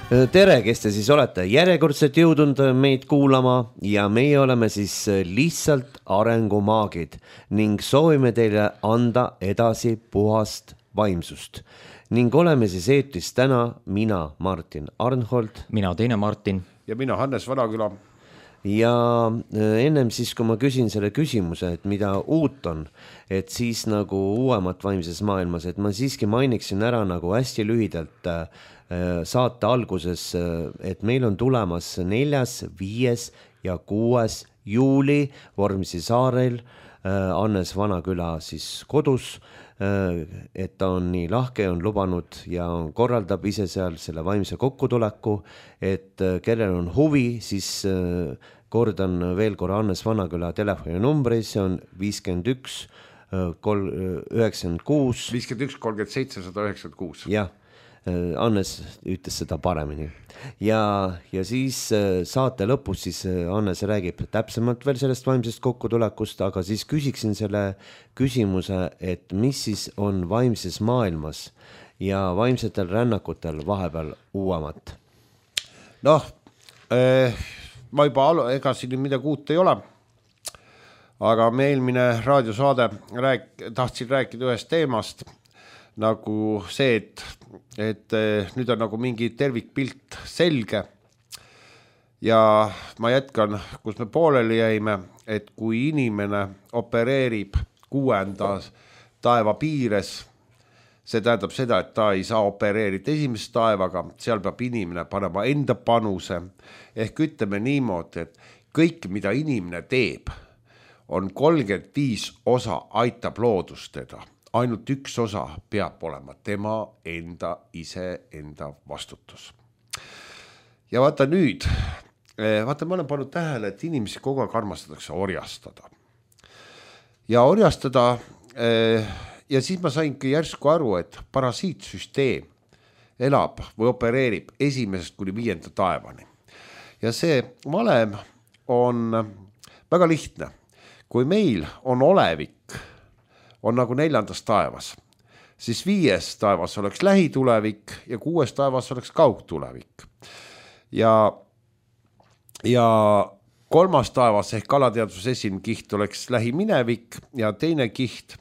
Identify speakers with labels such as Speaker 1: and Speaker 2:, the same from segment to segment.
Speaker 1: Tere, kes te siis olete järjekordselt jõudnud meid kuulama ja meie oleme siis lihtsalt arengumaagid ning soovime teile anda edasi puhast vaimsust. Ning oleme siis eetris täna mina, Martin Arnhold.
Speaker 2: Mina teine Martin.
Speaker 3: Ja mina Hannes Vanaküla.
Speaker 1: Ja ennem siis, kui ma küsin selle küsimuse, et mida uut on, et siis nagu uuemat vaimses maailmas, et ma siiski mainiksin ära nagu hästi lühidalt saate alguses, et meil on tulemas 4., 5. ja 6. juuli Vormsi saarel Hannes Vanaküla siis kodus, et ta on nii lahke, on lubanud ja korraldab ise seal selle vaimse kokkutuleku, et kellel on huvi, siis kordan veel korra Hannes Vanaküla telefoninumbri, see on 51 96
Speaker 3: 51 37 196.
Speaker 1: Jah, Hannes ütles seda paremini. Ja siis saate lõpus siis Hannes räägib täpsemalt veel sellest vaimsest kokkutulekust, aga siis küsiksin selle küsimuse, et mis siis on vaimses maailmas ja vaimsetel rännakutel vahepeal uuemat?
Speaker 3: Noh, ma juba ega siin midagi uut ei ole, aga me eelmine raadiosaade tahtsin rääkida ühest teemast, nagu see, et nüüd on nagu mingi tervikpilt selge ja ma jätkan, kus me pooleli jäime, et kui inimene opereerib 6. taeva piires, see tähendab seda, et ta ei saa opereerida 1. taevaga, seal peab inimene panema enda panuse, ehk ütleme niimoodi, et kõik, mida inimene teeb, on 35 osa aitab loodust teda. Ainult 1 osa peab olema tema enda vastutus. Ja vaata nüüd, ma olen pannud tähele, et inimesi kogu aeg armastatakse orjastada. Ja orjastada, ja siis ma saingi järsku aru, et parasiitsüsteem elab või opereerib 1. kuni 5. taevani. Ja see valem on väga lihtne. Kui meil on olevik, on nagu 4. taevas, siis 5. taevas oleks lähitulevik ja 6. taevas oleks kaugtulevik. Ja 3. taevas ehk alateadvuse esimene kiht oleks lähiminevik ja teine kiht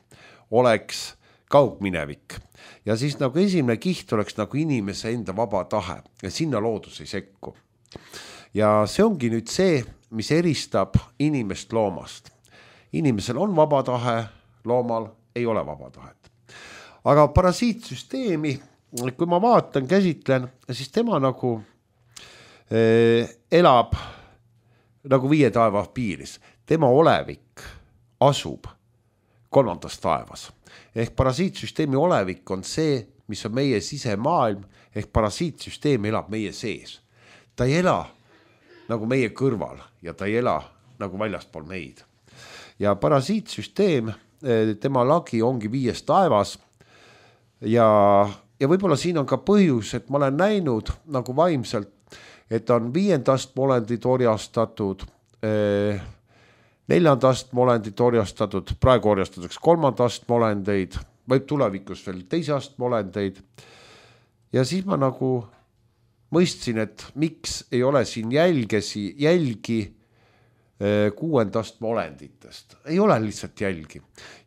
Speaker 3: oleks kaugminevik. Ja siis nagu esimene kiht oleks nagu inimese enda vaba tahe ja sinna loodus ei sekku. Ja see ongi nüüd see, mis eristab inimest loomast. Inimesel on vaba tahe, loomal ei ole vaba tahet. Aga parasiitsüsteemi, kui ma vaatan, käsitlen, siis tema nagu elab nagu 5. taeva piiris. Tema olevik asub 3. taevas. Ehk parasiitsüsteemi olevik on see, mis on meie sisemaailm, ehk parasiitsüsteem elab meie sees. Ta ei ela nagu meie kõrval ja ta ei ela nagu väljaspool meid. Ja parasiitsüsteem, tema lagi ongi 5. taevas ja võib-olla siin on ka põhjus, et ma olen näinud nagu vaimselt, et on 5. astme olendid orjastatud, 4. astme olendid orjastatud, praegu orjastatakse 3. astme olendeid, võib tulevikus veel 2. astme olendeid. Ja siis ma nagu mõistsin, et miks ei ole siin jälgi 6. astme olenditest. Ei ole lihtsalt jälgi.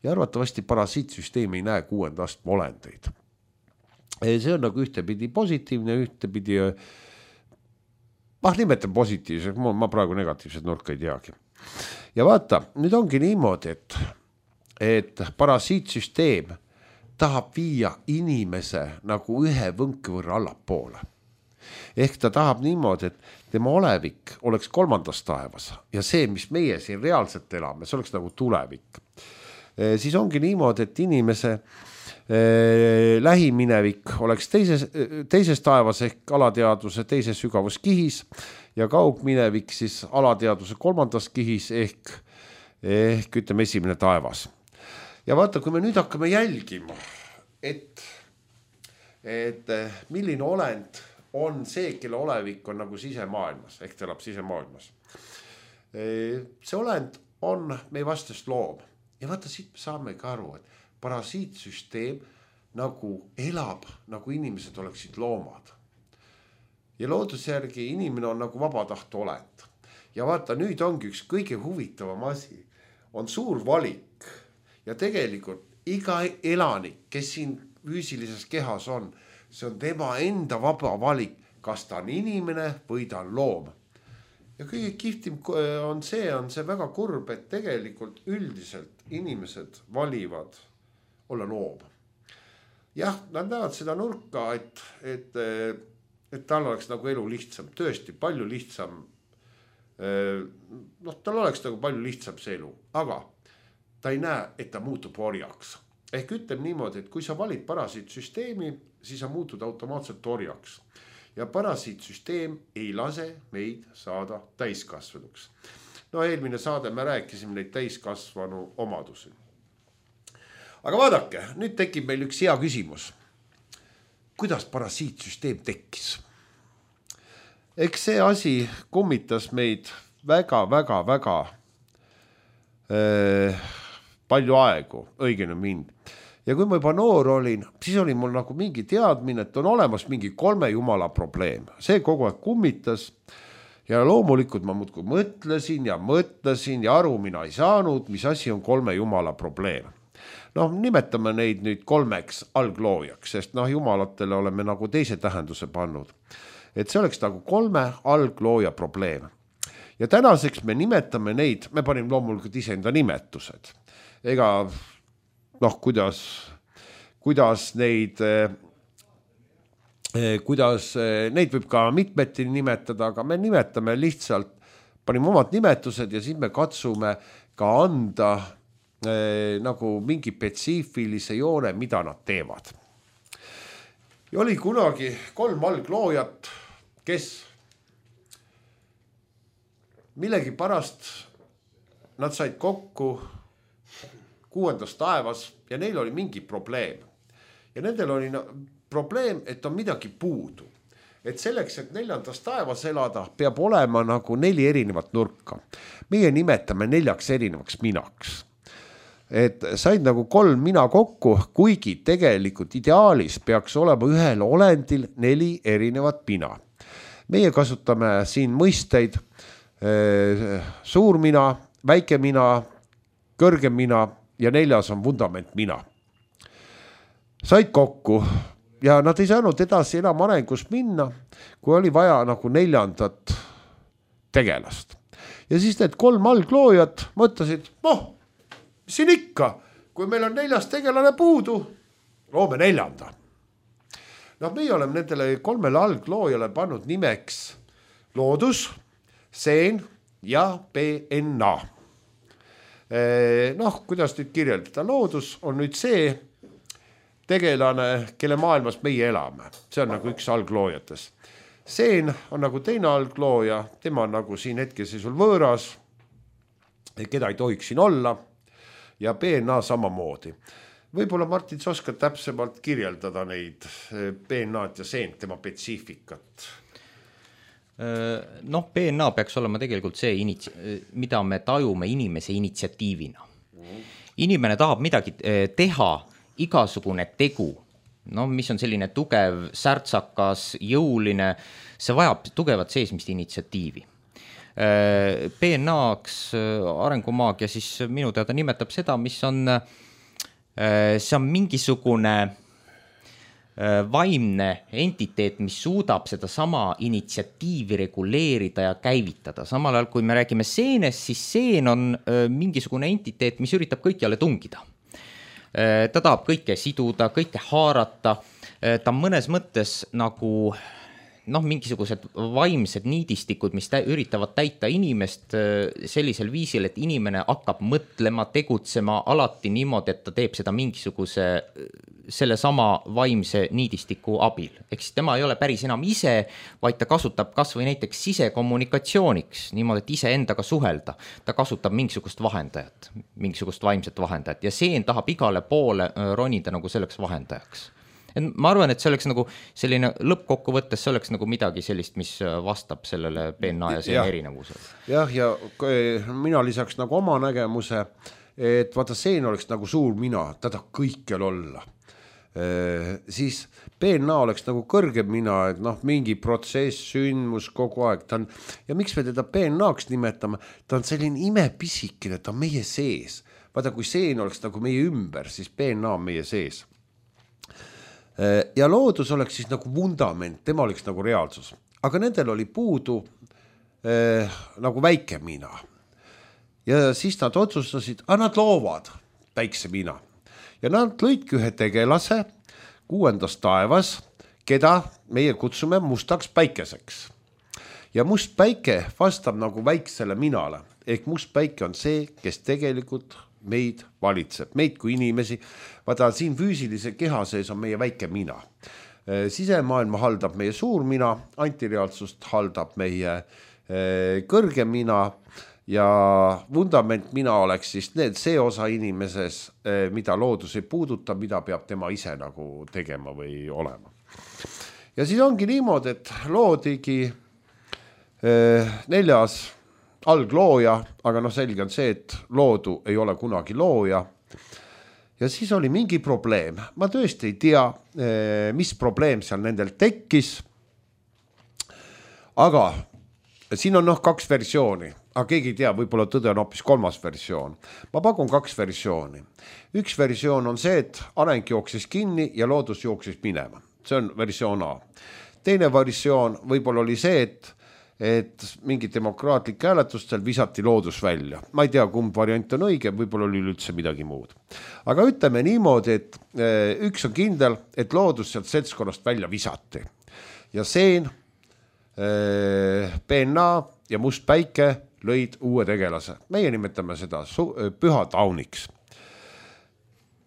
Speaker 3: Ja arvatavasti parasiitsüsteem ei näe 6. astme olendeid. See on nagu ühtepidi positiivne, ühtepidi, nimetan positiivse, ma praegu negatiivset nurka ei teagi. Ja vaata, nüüd ongi niimoodi, et parasiitsüsteem tahab viia inimese nagu ühe võnke võrra allapoole. Ehk ta tahab niimoodi, et tema olevik oleks 3. taevas ja see, mis meie siin reaalselt elame, see oleks nagu tulevik. Siis ongi niimoodi, et inimese lähiminevik oleks 2. taevas ehk alateadvuse 2. sügavuskihis ja kaugminevik siis alateadvuse 3. kihis ehk ütleme 1. taevas. Ja vaata, kui me nüüd hakkame jälgima, et milline olend on see, kelle olevik on nagu sisemaailmas, ehk ta elab sisemaailmas. See olend on meie vastast loom. Ja vaata, siit saame ka aru, et parasiitsüsteem nagu elab, nagu inimesed oleksid loomad. ja looduse järgi inimene on nagu vabataht olend. Ja vaata, nüüd ongi üks kõige huvitavam asi, on suur valik ja tegelikult iga elanik, kes siin füüsilises kehas on, see on tema enda vaba valik, kas ta on inimene või ta on loom. Ja kõige kihvtim on see väga kurb, et tegelikult üldiselt inimesed valivad olla loom. Jah, nad näevad seda nurka, et tal oleks nagu elu lihtsam, tõesti palju lihtsam. Tal oleks nagu palju lihtsam see elu, aga ta ei näe, et ta muutub orjaks. Ehk ütleb niimoodi, et kui sa valid parasiitsüsteemi, siis sa muutud automaatselt orjaks. Ja parasiitsüsteem ei lase meid saada täiskasvanuks. No eelmine saade me rääkisime neid täiskasvanu omadusi. Aga vaadake, nüüd tekib meil üks hea küsimus. Kuidas parasiitsüsteem tekkis? Eks see asi kummitas meid väga palju aegu, õigene mind. Ja kui ma juba noor olin, siis oli mul nagu mingi teadmine, et on olemas mingi 3 jumala probleem. See kogu aeg kummitas ja loomulikult ma muudkui mõtlesin ja aru mina ei saanud, mis asi on 3 jumala probleem. Nimetame neid nüüd 3 algloojaks, sest jumalatele oleme nagu teise tähenduse pannud. Et see oleks nagu 3 alglooja probleem. Ja tänaseks me nimetame neid, me panime loomulikult iseenda nimetused. Ega kuidas neid võib ka mitmeti nimetada, aga me nimetame lihtsalt, panime omad nimetused ja siis me katsume ka anda nagu mingi spetsiifilise joone, mida nad teevad. Ja oli kunagi 3 algloojat, kes millegi pärast nad said kokku 6. taevas ja neil oli mingi probleem. Ja nendel oli probleem, et on midagi puudu. Et selleks, et 4. taevas elada, peab olema nagu 4 erinevat nurka. Meie nimetame 4 erinevaks minaks. Et said nagu 3 mina kokku, kuigi tegelikult ideaalis peaks olema ühel olendil 4 erinevat mina. Meie kasutame siin mõisteid suur mina, väike mina, kõrgem mina ja 4. on vundament mina. Said kokku ja nad ei saanud edasi enam arengus minna, kui oli vaja nagu 4. tegelast. Ja siis need 3 algloojad mõtlesid, siin ikka, kui meil on 4. tegelane puudu, loome 4. Meie oleme nendele 3 algloojale pannud nimeks loodus, seen ja PNA. Kuidas nüüd kirjeldada? Loodus on nüüd see tegelane, kelle maailmas meie elame. See on nagu üks algloojates. Seen on nagu teine alglooja, tema on nagu siin hetkeseisul võõras, keda ei tohiks siin olla. Ja PNA samamoodi. Võib-olla Martin, sa oskad täpsemalt kirjeldada neid PNA-d ja seent, tema spetsiifikat?
Speaker 2: PNA peaks olema tegelikult see, mida me tajume inimese initsiatiivina. Inimene tahab midagi teha, igasugune tegu, mis on selline tugev, särtsakas, jõuline, see vajab tugevat seesmist initsiatiivi. PNA-ks arengumaagia siis minu teada nimetab seda, mis on, see on mingisugune vaimne entiteet, mis suudab seda sama initsiatiivi reguleerida ja käivitada. Samal ajal, kui me räägime seenest, siis seen on mingisugune entiteet, mis üritab kõikjale tungida. Ta tahab kõike siduda, kõike haarata, ta on mõnes mõttes nagu mingisugused vaimsed niidistikud, mis üritavad täita inimest sellisel viisil, et inimene hakkab mõtlema, tegutsema alati niimoodi, et ta teeb seda mingisuguse selle sama vaimse niidistiku abil. Ehk siis tema ei ole päris enam ise, vaid ta kasutab kas või näiteks sisekommunikatsiooniks, niimoodi, et ise endaga suhelda. Ta kasutab mingisugust vahendajat, mingisugust vaimset vahendajat ja seen tahab igale poole ronida nagu selleks vahendajaks. Ma arvan, et see oleks nagu selline lõppkokkuvõttes, see oleks nagu midagi sellist, mis vastab sellele PNA ja see erinevusele.
Speaker 3: Ja mina lisaks nagu oma nägemuse, et vaata seen oleks nagu suur mina, ta tahab kõikjal olla. siis PNA oleks nagu kõrgem mina, et noh, mingi protsess, sündmus kogu aeg, ta on, ja miks me teda PNA-ks nimetame, ta on selline imepisikene, ta on meie sees. Vaata, kui seen oleks nagu meie ümber, siis PNA on meie sees. Ja loodus oleks siis nagu vundament, tema oleks nagu reaalsus. Aga nendel oli puudu nagu väike mina. Ja siis nad otsustasid, nad loovad väikse mina. Ja nad lõidki ühe tegelase 6. taevas, keda meie kutsume mustaks päikeseks. Ja must päike vastab nagu väiksele minale. Ehk must päike on see, kes tegelikult meid valitseb, meid kui inimesi. Vaata, siin füüsilise keha sees on meie väike mina. Sisemaailma haldab meie suur mina, antireaalsust haldab meie kõrge mina ja vundament mina oleks siis see osa inimeses, mida loodus ei puuduta, mida peab tema ise nagu tegema või olema. Ja siis ongi niimoodi, et loodigi 4. alglooja, aga selge on see, et loodu ei ole kunagi looja. Ja siis oli mingi probleem. Ma tõesti ei tea, mis probleem seal nendel tekkis. Aga siin on 2 versiooni, aga keegi ei tea, võib-olla tõde on hoopis 3. versioon. Ma pakun 2 versiooni. Üks versioon on see, et areng jooksis kinni ja loodus jooksis minema. See on versioon A. Teine versioon võib-olla oli see, et mingi demokraatlik hääletustel visati loodus välja. Ma ei tea, kumb variant on õige, võib-olla oli üldse midagi muud. Aga ütleme niimoodi, et üks on kindel, et loodus sealt seltskonnast välja visati. Ja seen, PNA ja must päike lõid uue tegelase. Meie nimetame seda püha tauniks.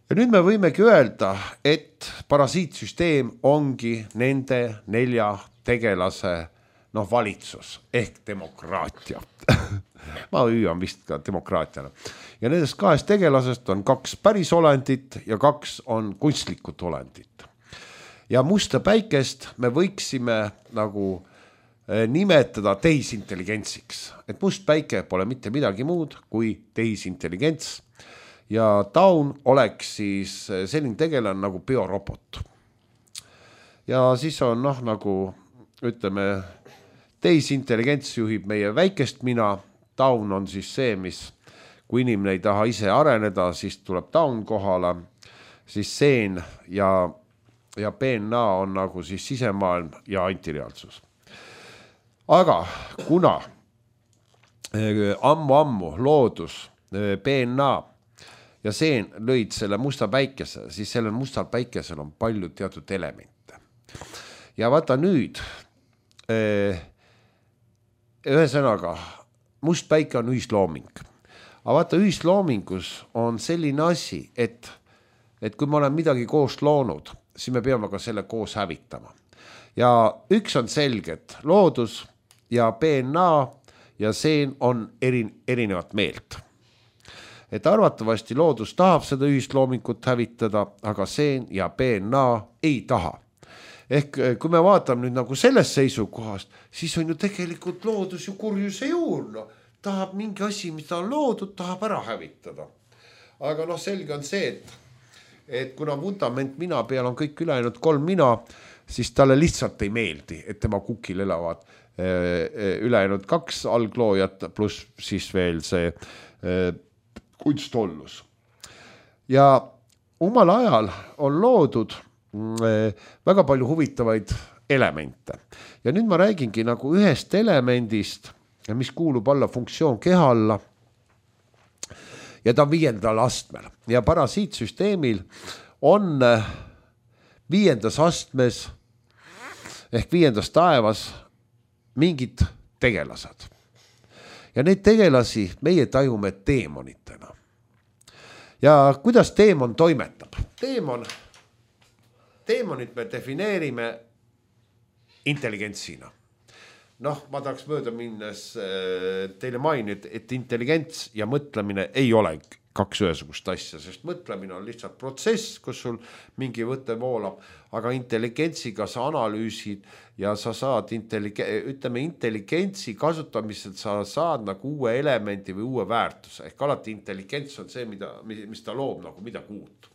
Speaker 3: Ja nüüd me võimegi öelda, et parasiitsüsteem ongi nende 4 tegelase valitsus ehk demokraatia. Ma hüüan vist ka demokraatiana. Ja nendest 2 tegelasest on 2 päris olendit ja 2 on kunstlikud olendit. Ja musta päikest me võiksime nagu nimetada tehisintelligentsiks. Et must päike pole mitte midagi muud kui tehisintelligents. Ja taun oleks siis selline tegelane nagu biorobot. Ja siis on nagu, ütleme, tehisintelligents juhib meie väikest mina. Taun on siis see, mis kui inimene ei taha ise areneda, siis tuleb taun kohale. Siis seen ja PNA on nagu siis sisemaailm ja antireaalsus. Aga kuna ammu loodus, PNA ja seen lõid selle musta päikese, siis sellel mustal päikesel on palju teatud elemente. Ja vaata nüüd, ühesõnaga, must päike on ühislooming. Aga vaata, ühisloomingus on selline asi, et kui me oleme midagi koos loonud, siis me peame ka selle koos hävitama. Ja üks on selge, et loodus ja PNA ja seen on erinevat meelt. Et arvatavasti loodus tahab seda ühisloomingut hävitada, aga seen ja PNA ei taha. Ehk kui me vaatame nüüd nagu sellest seisukohast, siis on ju tegelikult loodus ju kurjuse juur. Tahab mingi asi, mida on loodud, tahab ära hävitada. Aga selge on see, et kuna vundament mina peal on kõik ülejäänud 3 mina, siis talle lihtsalt ei meeldi, et tema kukil elavad ülejäänud 2 algloojat pluss siis veel see kunstollus. Ja omal ajal on loodud väga palju huvitavaid elemente. Ja nüüd ma räägingi nagu ühest elemendist, mis kuulub alla funktsioon keha alla. Ja ta on 5. astmel. Ja parasiitsüsteemil on 5. astmes ehk 5. taevas mingid tegelased. Ja neid tegelasi meie tajume teemonitena. Ja kuidas teemon toimetab? Teemonit me defineerime intelligentsina. Ma tahaks mööda minnes teile mainida, et intelligents ja mõtlemine ei ole 2 ühesugust asja, sest mõtlemine on lihtsalt protsess, kus sul mingi võte voolab, aga intelligentsiga sa analüüsid ja sa saad intelligentsi kasutamisel sa saad nagu uue elemendi või uue väärtuse. Ehk alati intelligents on see, mis ta loob nagu midagi uut.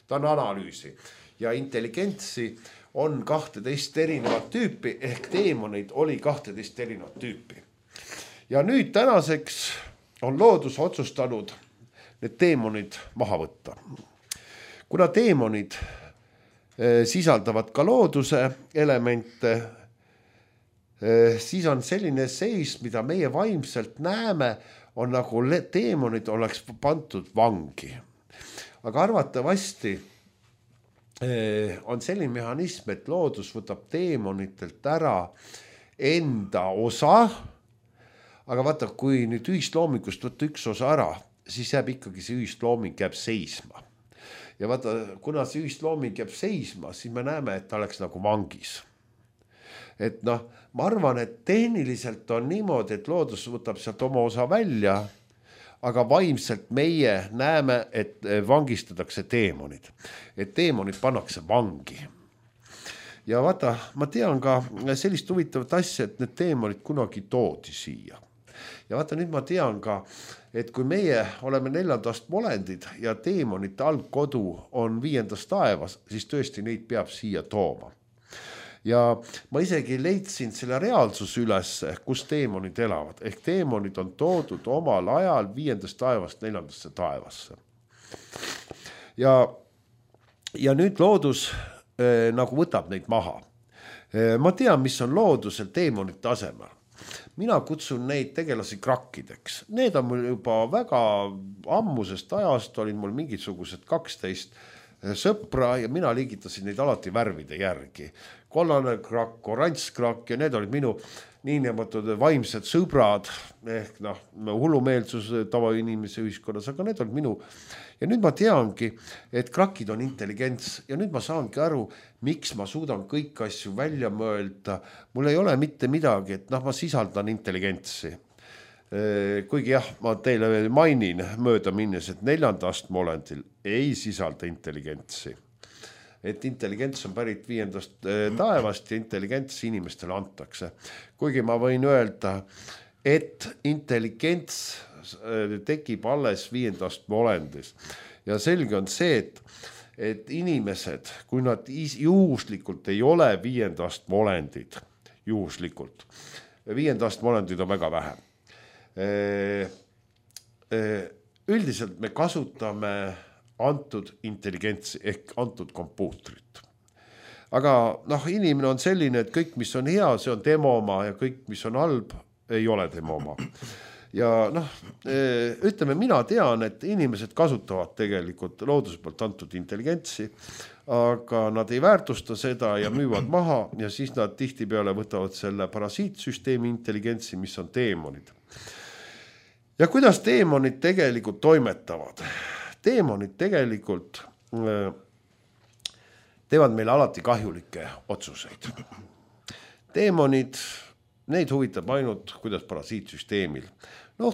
Speaker 3: ta on analüüsi ja intelligentsi on 12 erinevat tüüpi ehk teemoneid oli 12 erinevat tüüpi. Ja nüüd tänaseks on loodus otsustanud need teemonid maha võtta. Kuna teemonid sisaldavad ka looduse elemente, siis on selline seis, mida meie vaimselt näeme, on nagu teemonid oleks pandud vangi. Aga arvatavasti on selline mehhanism, et loodus võtab teemonitelt ära enda osa, aga vaata, kui nüüd ühisloomingust võtta üks osa ära, siis jääb ikkagi see ühislooming jääb seisma. Ja vaata, kuna see ühislooming jääb seisma, siis me näeme, et ta oleks nagu vangis. Et noh, ma arvan, et tehniliselt on niimoodi, et loodus võtab sealt oma osa välja, aga vaimselt meie näeme, et vangistatakse teemonid. Et teemonid pannakse vangi. Ja vaata, ma tean ka sellist huvitavat asja, et need teemonid kunagi toodi siia. Ja vaata, nüüd ma tean ka, et kui meie oleme 4. astme olendid ja teemonite algkodu on 5. taevas, siis tõesti neid peab siia tooma. Ja ma isegi leidsin selle reaalsuse üles, kus teemonid elavad. Ehk teemonid on toodud omal ajal 5. taevast 4. taevasse. Ja nüüd loodus nagu võtab neid maha. Ma tean, mis on loodusel teemonite asemel. Mina kutsun neid tegelasi krakkideks. Need on mul juba väga ammusest ajast, olin mul mingisugused 12 sõpra ja mina liigitasin neid alati värvide järgi. Kollane krakk, oranž krakk ja need olid minu niinimetatud vaimsed sõbrad ehk hullumeelsus tavainimese ühiskonnas, aga need olid minu. Ja nüüd ma teangi, et krakid on intelligents ja nüüd ma saangi aru, miks ma suudan kõik asju välja mõelda. Mul ei ole mitte midagi, et ma sisaldan intelligentsi. Kuigi jah, ma teile mainin mööda minnes, et 4. astme olendil ei sisalda intelligentsi. Et intelligents on pärit 5. taevast ja intelligents inimestele antakse. Kuigi ma võin öelda, et intelligents tekib alles 5. astme olendis. Ja selge on see, et inimesed, kui nad juhuslikult ei ole 5. astme olendid, juhuslikult, 5. astme olendid on väga vähe. Üldiselt me kasutame antud intelligentsi ehk antud kompuutrit. Aga inimene on selline, et kõik, mis on hea, see on tema oma ja kõik, mis on halb, ei ole tema oma. Ja ütleme, mina tean, et inimesed kasutavad tegelikult looduse poolt antud intelligentsi, aga nad ei väärtusta seda ja müüvad maha ja siis nad tihtipeale võtavad selle parasiitsüsteemi intelligentsi, mis on teemonid. Ja kuidas teemonid tegelikult toimetavad? Teemonid tegelikult teevad meile alati kahjulikke otsuseid. Teemonid, neid huvitab ainult, kuidas parasiitsüsteemil.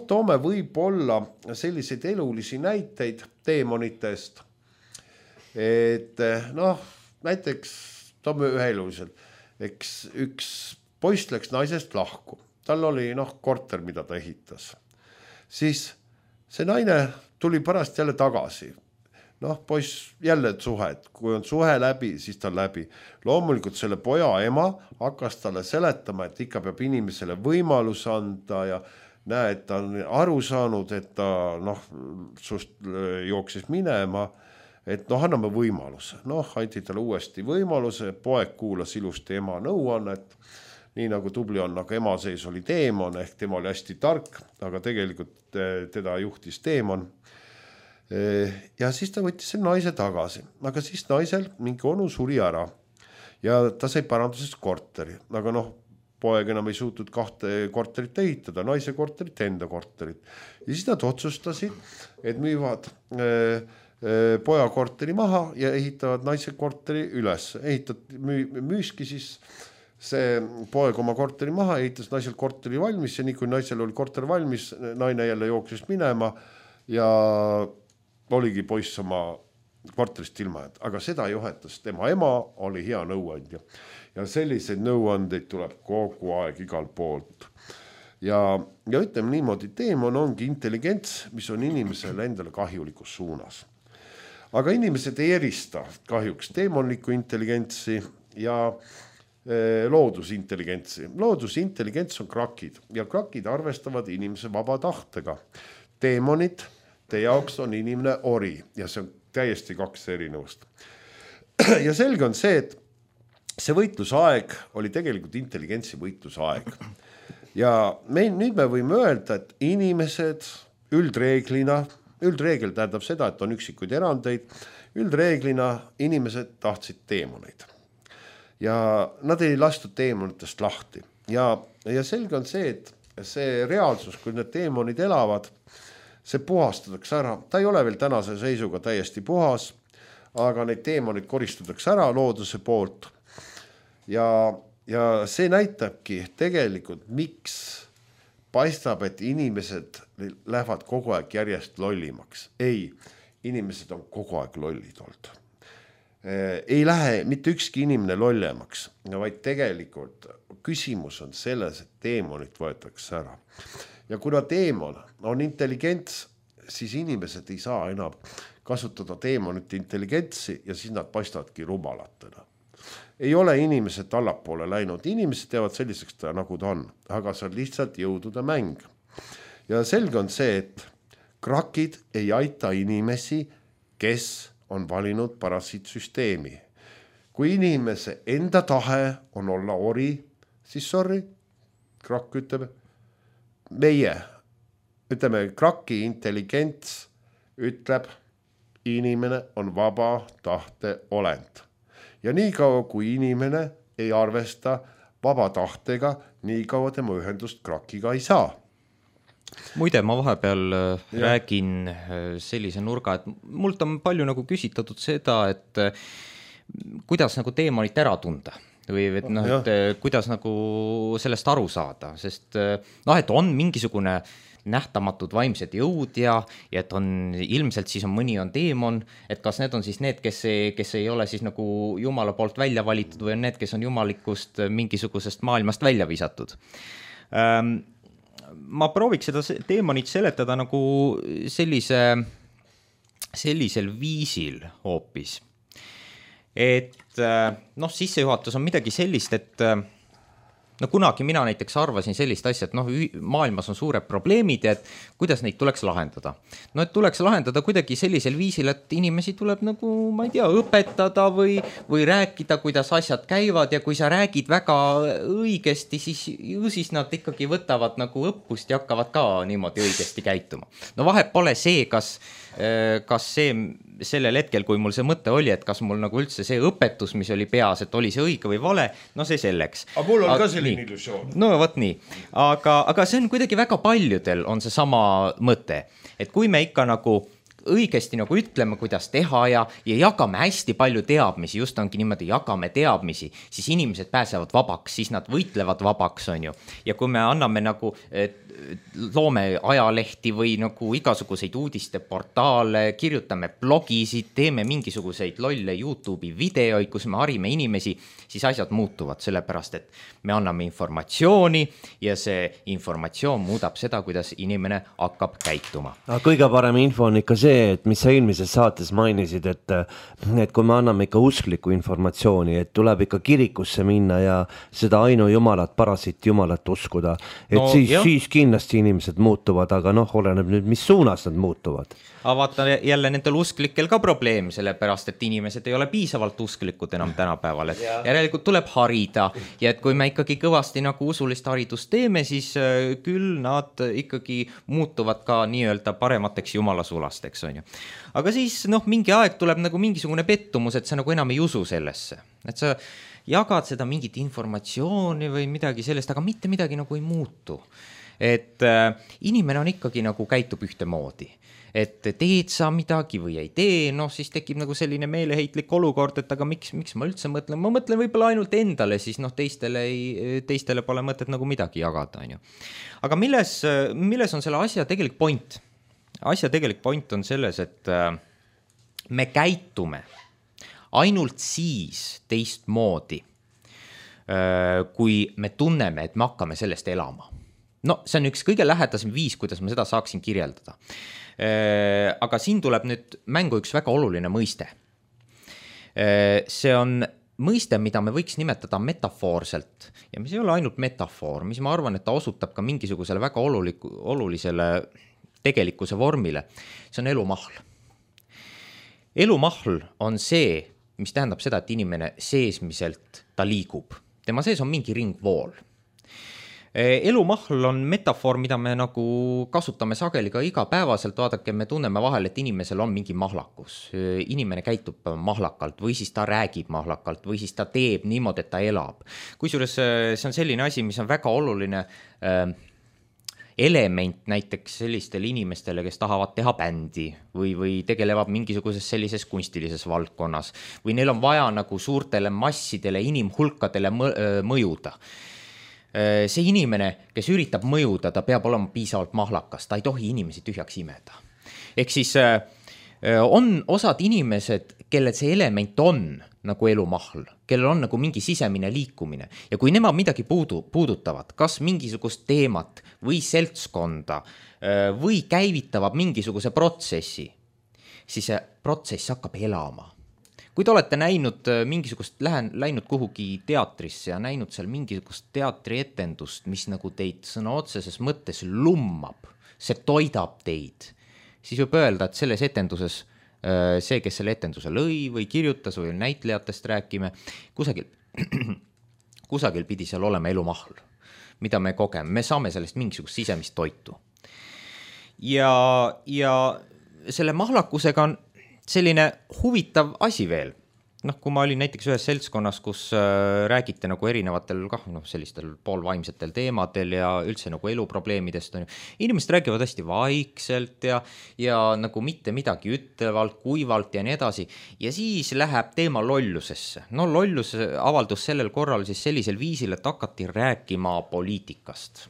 Speaker 3: Toome võib-olla selliseid elulisi näiteid teemonitest. Et näiteks toome ühe eluliselt. Eks üks poiss läks naisest lahku. Tal oli korter, mida ta ehitas. Siis see naine tuli pärast jälle tagasi. Poiss jälle suhe, et kui on suhe läbi, siis ta on läbi. Loomulikult selle poja ema hakkas talle seletama, et ikka peab inimesele võimalus anda ja näe, et ta on aru saanud, et ta sust jooksis minema, et anname võimaluse. Anti talle uuesti võimaluse, poeg kuulas ilusti ema nõuannet, nii nagu tubli on, aga ema sees oli teemon, ehk tema oli hästi tark, aga tegelikult teda juhtis teemon. Ja siis ta võttis selle naise tagasi, aga siis naisel mingi onu suri ära ja ta sai parandusest korteri, aga poeg enam ei suutnud 2 korterit ehitada, naise korterit, enda korterit. Ja siis nad otsustasid, et müüvad poja korteri maha ja ehitavad naise korteri üles. Müüski siis see poeg oma korteri maha, ehitas naisel korteri valmis ja nii kui naisel oli korter valmis, naine jälle jooksis minema ja oligi poiss oma korterist ilma, aga seda juhetas tema ema, oli hea nõuandja. Ja selliseid nõuandeid tuleb kogu aeg igal poolt. Ja ütleme niimoodi, teemon ongi intelligents, mis on inimesele endale kahjulikus suunas. aga inimesed ei erista kahjuks teemonlikku intelligentsi ja loodusintelligentsi. Loodusintelligents on krakid ja krakid arvestavad inimese vaba tahtega. Teemonid, teie jaoks on inimene ori ja see on täiesti kaks erinevust. Ja selge on see, et see võitlusaeg oli tegelikult intelligentsi võitlusaeg. Ja nüüd me võime öelda, et inimesed üldreegel tähendab seda, et on üksikuid erandeid, üldreeglina inimesed tahtsid teemoneid. Ja nad ei lastud teemonitest lahti. Ja selge on see, et see reaalsus, kui need teemonid elavad, see puhastatakse ära. Ta ei ole veel tänase seisuga täiesti puhas, aga neid teemonid koristatakse ära looduse poolt. Ja see näitabki tegelikult, miks paistab, et inimesed lähevad kogu aeg järjest lollimaks. Ei, inimesed on kogu aeg lollid olnud. Ei lähe mitte ükski inimene lollemaks, vaid tegelikult küsimus on selles, et teemonid võetakse ära. Ja kuna teemon on intelligents, siis inimesed ei saa enam kasutada teemonite intelligentsi ja siis nad paistavadki rumalatena. Ei ole inimesed allapoole läinud, inimesed teevad selliseks, nagu ta on, aga see on lihtsalt jõudude mäng. Ja selge on see, et krakid ei aita inimesi, kes on valinud parasiitsüsteemi. Kui inimese enda tahe on olla ori, siis sorry, krakk ütleb, kraki intelligents ütleb, inimene on vaba tahte olend. Ja nii kaua, kui inimene ei arvesta vaba tahtega, nii kaua tema ühendust krakiga ei saa.
Speaker 2: Muide, ma vahepeal räägin sellise nurga, et mult on palju nagu küsitatud seda, et kuidas nagu teemonit ära tunda või et, et kuidas nagu sellest aru saada, sest et on mingisugune nähtamatud vaimsed jõud ja et on ilmselt siis on mõni on teemon, et kas need on siis need, kes ei ole siis nagu Jumala poolt välja valitud või on need, kes on jumalikust mingisugusest maailmast välja visatud. Ma prooviks seda teemonit seletada nagu sellisel viisil hoopis. Et sissejuhatus on midagi sellist, et kunagi mina näiteks arvasin sellist asja, et maailmas on suured probleemid ja et kuidas neid tuleks lahendada. Et tuleks lahendada kuidagi sellisel viisil, et inimesi tuleb nagu, ma ei tea, õpetada või rääkida, kuidas asjad käivad ja kui sa räägid väga õigesti, siis nad ikkagi võtavad nagu õppust ja hakkavad ka niimoodi õigesti käituma. Vahet pole see, kas see sellel hetkel, kui mul see mõte oli, et kas mul nagu üldse see õpetus, mis oli peas, et oli see õige või vale, see selleks.
Speaker 3: Aga mul on ka selline illusioon.
Speaker 2: Võt nii. Aga see on kuidagi väga paljudel on see sama mõte, et kui me ikka nagu õigesti nagu ütleme, kuidas teha ja jagame hästi palju teadmisi, just ongi niimoodi, jagame teadmisi, siis inimesed pääsevad vabaks, siis nad võitlevad vabaks, on ju. Ja kui me anname nagu, loome ajalehti või nagu igasuguseid uudisteportaale, kirjutame blogisid, teeme mingisuguseid lolle YouTube'i videoid, kus me harime inimesi, siis asjad muutuvad, sellepärast et me anname informatsiooni ja see informatsioon muudab seda, kuidas inimene hakkab käituma.
Speaker 1: Kõige parem info on ikka see, et mis sa eelmises saates mainisid, et kui me anname ikka usklikku informatsiooni, et tuleb ikka kirikusse minna ja seda ainu jumalat, parasiit jumalat uskuda, et siis kindlasti inimesed muutuvad, aga oleneb nüüd, mis suunas nad muutuvad.
Speaker 2: Aga vaata jälle nendel usklikel ka probleem, sellepärast, et inimesed ei ole piisavalt usklikud enam tänapäeval, et järelikult tuleb harida ja et kui me ikkagi kõvasti nagu usulist haridust teeme, siis küll nad ikkagi muutuvad ka nii-öelda paremateks jumalasulasteks, on ju. Aga siis mingi aeg tuleb nagu mingisugune pettumus, et sa nagu enam ei usu sellesse, et sa jagad seda mingit informatsiooni või midagi sellest, aga mitte midagi nagu ei muutu. Et inimene on ikkagi nagu käitub ühtemoodi, et teed sa midagi või ei tee, siis tekib nagu selline meeleheitlik olukord, et aga miks ma üldse mõtlen, ma mõtlen võib-olla ainult endale, siis teistele pole mõtet nagu midagi jagada, on ju. Aga milles on selle asja tegelik point? Asja tegelik point on selles, et me käitume ainult siis teistmoodi, kui me tunneme, et me hakkame sellest elama. no see on üks kõige lähedasem viis, kuidas ma seda saaksin kirjeldada. Aga siin tuleb nüüd mängu üks väga oluline mõiste. See on mõiste, mida me võiks nimetada metafoorselt ja mis ei ole ainult metafoor, mis ma arvan, et ta osutab ka mingisugusele väga olulisele tegelikkuse vormile. See on elumahl. Elumahl on see, mis tähendab seda, et inimene seesmiselt ta liigub. Tema sees on mingi ringvool. Elumahl on metafoor, mida me nagu kasutame sageli ka igapäevaselt, vaadake, me tunneme vahel, et inimesel on mingi mahlakus. Inimene käitub mahlakalt või siis ta räägib mahlakalt või siis ta teeb niimoodi, et ta elab. Kusjuures see on selline asi, mis on väga oluline element näiteks sellistele inimestele, kes tahavad teha bändi või tegelevad mingisuguses sellises kunstilises valdkonnas või neil on vaja nagu suurtele massidele, inimhulkadele mõjuda. See inimene, kes üritab mõjuda, ta peab olema piisavalt mahlakas, ta ei tohi inimesi tühjaks imeda. Ehk siis on osad inimesed, kellel see element on nagu elumahl, kellel on nagu mingi sisemine liikumine ja kui nemad midagi puudutavad, kas mingisugust teemat või seltskonda või käivitavad mingisuguse protsessi, siis see protsess hakkab elama. Kui te olete näinud mingisugust, läinud kuhugi teatrisse ja näinud seal mingisugust teatrietendust, mis nagu teid sõna otseses mõttes lummab, see toidab teid, siis võib öelda, et selles etenduses see, kes selle etenduse lõi või kirjutas või näitlejatest rääkime, kusagil pidi seal olema elumahl, mida me kogeme, me saame sellest mingisugust sisemist toitu. Ja selle mahlakusega on selline huvitav asi veel. Kui ma olin näiteks ühes seltskonnas, kus räägite nagu erinevatel sellistel poolvaimsetel teemadel ja üldse nagu eluprobleemidest, inimesed räägivad hästi vaikselt ja nagu mitte midagi ütlevalt, kuivalt ja nii edasi. Ja siis läheb teema lollusesse. Lollus avaldus sellel korral siis sellisel viisil, et hakati rääkima poliitikast.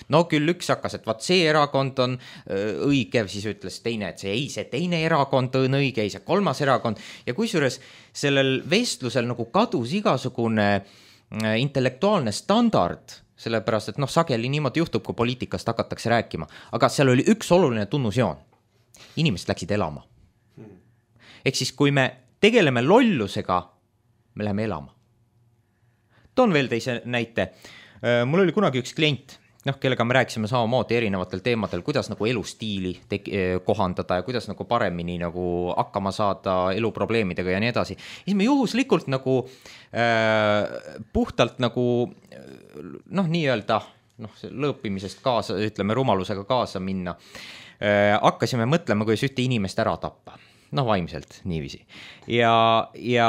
Speaker 2: Küll üks hakkas, et vaat see erakond on õige, siis ütles teine, et see teine erakond on õige, see kolmas erakond. Ja kusjuures sellel vestlusel nagu kadus igasugune intellektuaalne standard, sellepärast, et sageli niimoodi juhtub, kui poliitikast hakatakse rääkima. Aga seal oli üks oluline tunnusjoon. Inimesed läksid elama. Ehk siis, kui me tegeleme lollusega, me läheme elama. Toon veel teise näite. Mul oli kunagi üks klient, kellega me rääkisime samamoodi erinevatel teemadel, kuidas nagu elustiili kohandada ja kuidas nagu paremini nagu hakkama saada eluprobleemidega ja nii edasi. Siis me juhuslikult nagu puhtalt nagu nii-öelda lõõpimisest kaasa, ütleme rumalusega kaasa minna, hakkasime mõtlema, kuidas ühte inimest ära tappa. Vaimselt niiviisi. Ja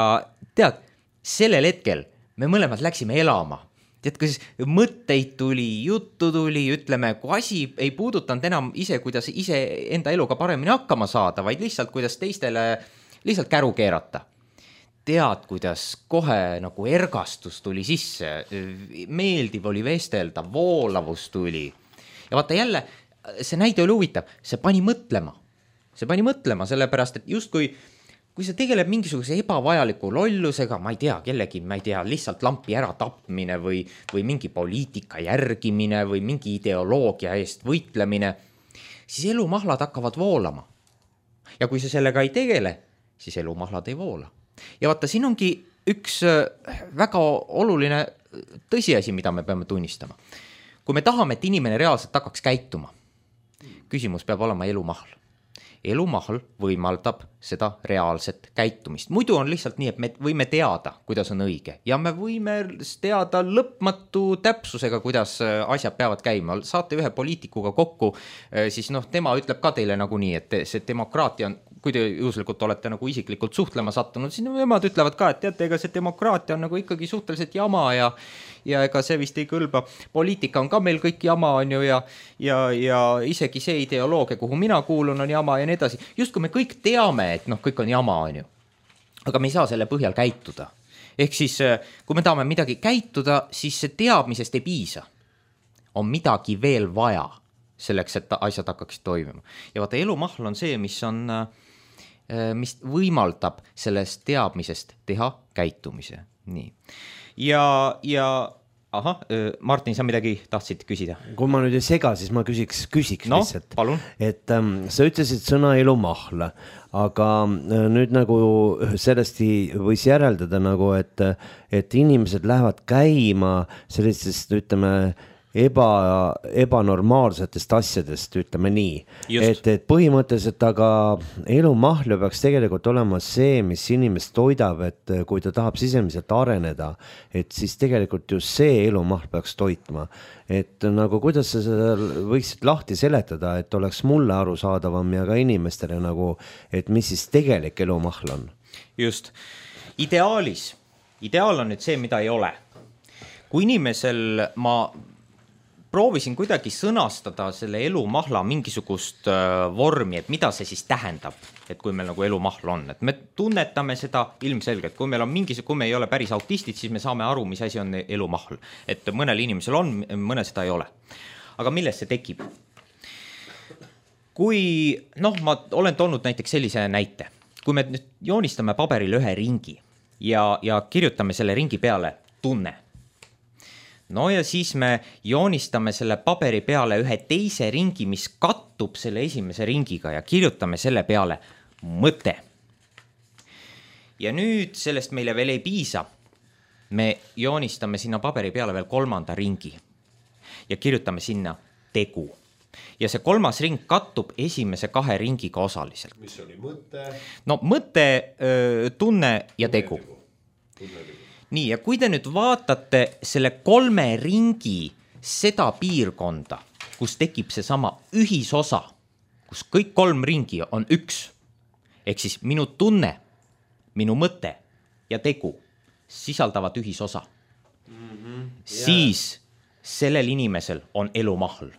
Speaker 2: tead, sellel hetkel me mõlemad läksime elama. Tead, kas mõtteid tuli, juttu tuli, ütleme, kui asi ei puudutanud enam kuidas ise enda eluga paremini hakkama saada, vaid lihtsalt, kuidas teistele lihtsalt käru keerata. Tead, kuidas kohe nagu ergastus tuli sisse, meeldiv oli vestelda, voolavus tuli. Ja vaata jälle, see näide oli huvitav, see pani mõtlema, sellepärast, et just kui sa tegeleb mingisuguse ebavajaliku lollusega, ma ei tea, kellegi, lihtsalt lampi ära tapmine või mingi poliitika järgimine või mingi ideoloogia eest võitlemine, siis elumahlad hakkavad voolama. Ja kui sa sellega ei tegele, siis elumahlad ei voola. Ja vaata, siin ongi üks väga oluline tõsiasi, mida me peame tunnistama. Kui me tahame, et inimene reaalselt hakkaks käituma, küsimus peab olema elumahl. Elumahl võimaldab seda reaalset käitumist. Muidu on lihtsalt nii, et me võime teada, kuidas on õige ja me võime teada lõpmatu täpsusega, kuidas asjad peavad käima. Saate ühe poliitikuga kokku, siis tema ütleb ka teile nagu nii, et see demokraatia on, kui te juhuslikult olete nagu isiklikult suhtlema sattunud, siis nemad ütlevad ka, et teate, ega see demokraatia on nagu ikkagi suhteliselt jama ja ega see vist ei kõlba. Poliitika on ka meil kõik jama, on ju, ja isegi see ideoloogia, kuhu mina kuulun, on jama ja nii edasi. Just kui me kõik teame, et kõik on jama, on ju, aga me ei saa selle põhjal käituda. Ehk siis, kui me tahame midagi käituda, siis see teadmisest ei piisa. On midagi veel vaja selleks, et asjad hakkaksid toimima. Ja vaata, elumahl on see, mis võimaldab sellest teadmisest teha käitumise. Nii. Ja ahah, Martin, sa midagi tahtsid küsida?
Speaker 1: Kui ma nüüd ei sega, siis ma küsiks
Speaker 2: no,
Speaker 1: lihtsalt.
Speaker 2: Palun.
Speaker 1: Et sa ütlesid sõna elumahl, aga nüüd nagu sellest võis järeldada nagu, et inimesed lähevad käima sellisest, ütleme, ebanormaalsetest asjadest, ütleme nii. Et põhimõtteliselt aga elumahlu peaks tegelikult olema see, mis inimest toidab, et kui ta tahab sisemiselt areneda, et siis tegelikult just see elumahl peaks toitma. Et nagu kuidas sa seda võiksid lahti seletada, et oleks mulle arusaadavam ja ka inimestele nagu, et mis siis tegelik elumahl on?
Speaker 2: Just. Ideaal on nüüd see, mida ei ole. Kui inimesel ma proovisin kuidagi sõnastada selle elumahla mingisugust vormi, et mida see siis tähendab, et kui meil nagu elumahl on, et me tunnetame seda ilmselgelt, kui meil on kui me ei ole päris autistid, siis me saame aru, mis asi on elumahl, et mõnel inimesel on, mõnel seda ei ole. Aga millest see tekib? Kui, ma olen toonud näiteks sellise näite, kui me nüüd joonistame paberile ühe ringi ja kirjutame selle ringi peale tunne. No ja siis me joonistame selle paberi peale ühe teise ringi, mis kattub selle esimese ringiga ja kirjutame selle peale mõte. Ja nüüd sellest meile veel ei piisa. Me joonistame sinna paberi peale veel kolmanda ringi ja kirjutame sinna tegu. Ja see kolmas ring kattub esimese kahe ringiga osaliselt.
Speaker 3: Mis oli mõte?
Speaker 2: No mõte, tunne ja tegu. Nii, ja kui te nüüd vaatate selle kolme ringi seda piirkonda, kus tekib see sama ühisosa, kus kõik kolm ringi on üks, ehk siis minu tunne, minu mõte ja tegu sisaldavad ühisosa, siis sellel inimesel on elumahl.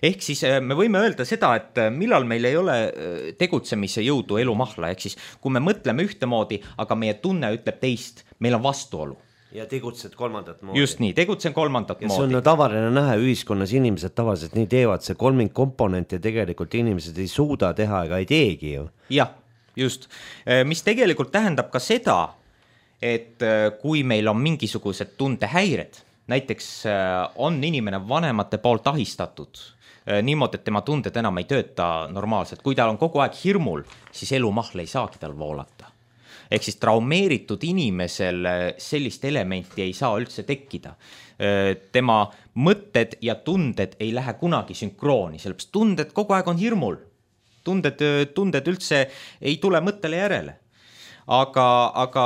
Speaker 2: Ehk siis me võime öelda seda, et millal meil ei ole tegutsemise jõudu elumahla, ehk siis kui me mõtleme ühtemoodi, aga meie tunne ütleb teist, meil on vastuolu.
Speaker 1: Ja tegutsed kolmandat moodi.
Speaker 2: Just nii, tegutsen kolmandat moodi.
Speaker 1: Ja see on tavaline näha ühiskonnas, inimesed tavaliselt nii teevad, see kolming komponent ja tegelikult inimesed ei suuda teha ega ei teegi ju.
Speaker 2: Jah, just. Mis tegelikult tähendab ka seda, et kui meil on mingisugused tundehäired, näiteks on inimene vanemate poolt ahistatud niimoodi, et tema tunded enam ei tööta normaalselt. Kui tal on kogu aeg hirmul, siis elumahl ei saagi tal voolata. Ehk siis traumeeritud inimesel sellist elementi ei saa üldse tekkida. Tema mõtted ja tunded ei lähe kunagi sünkrooni, sellepärast tunded kogu aeg on hirmul. Tunded üldse ei tule mõttele järele. Aga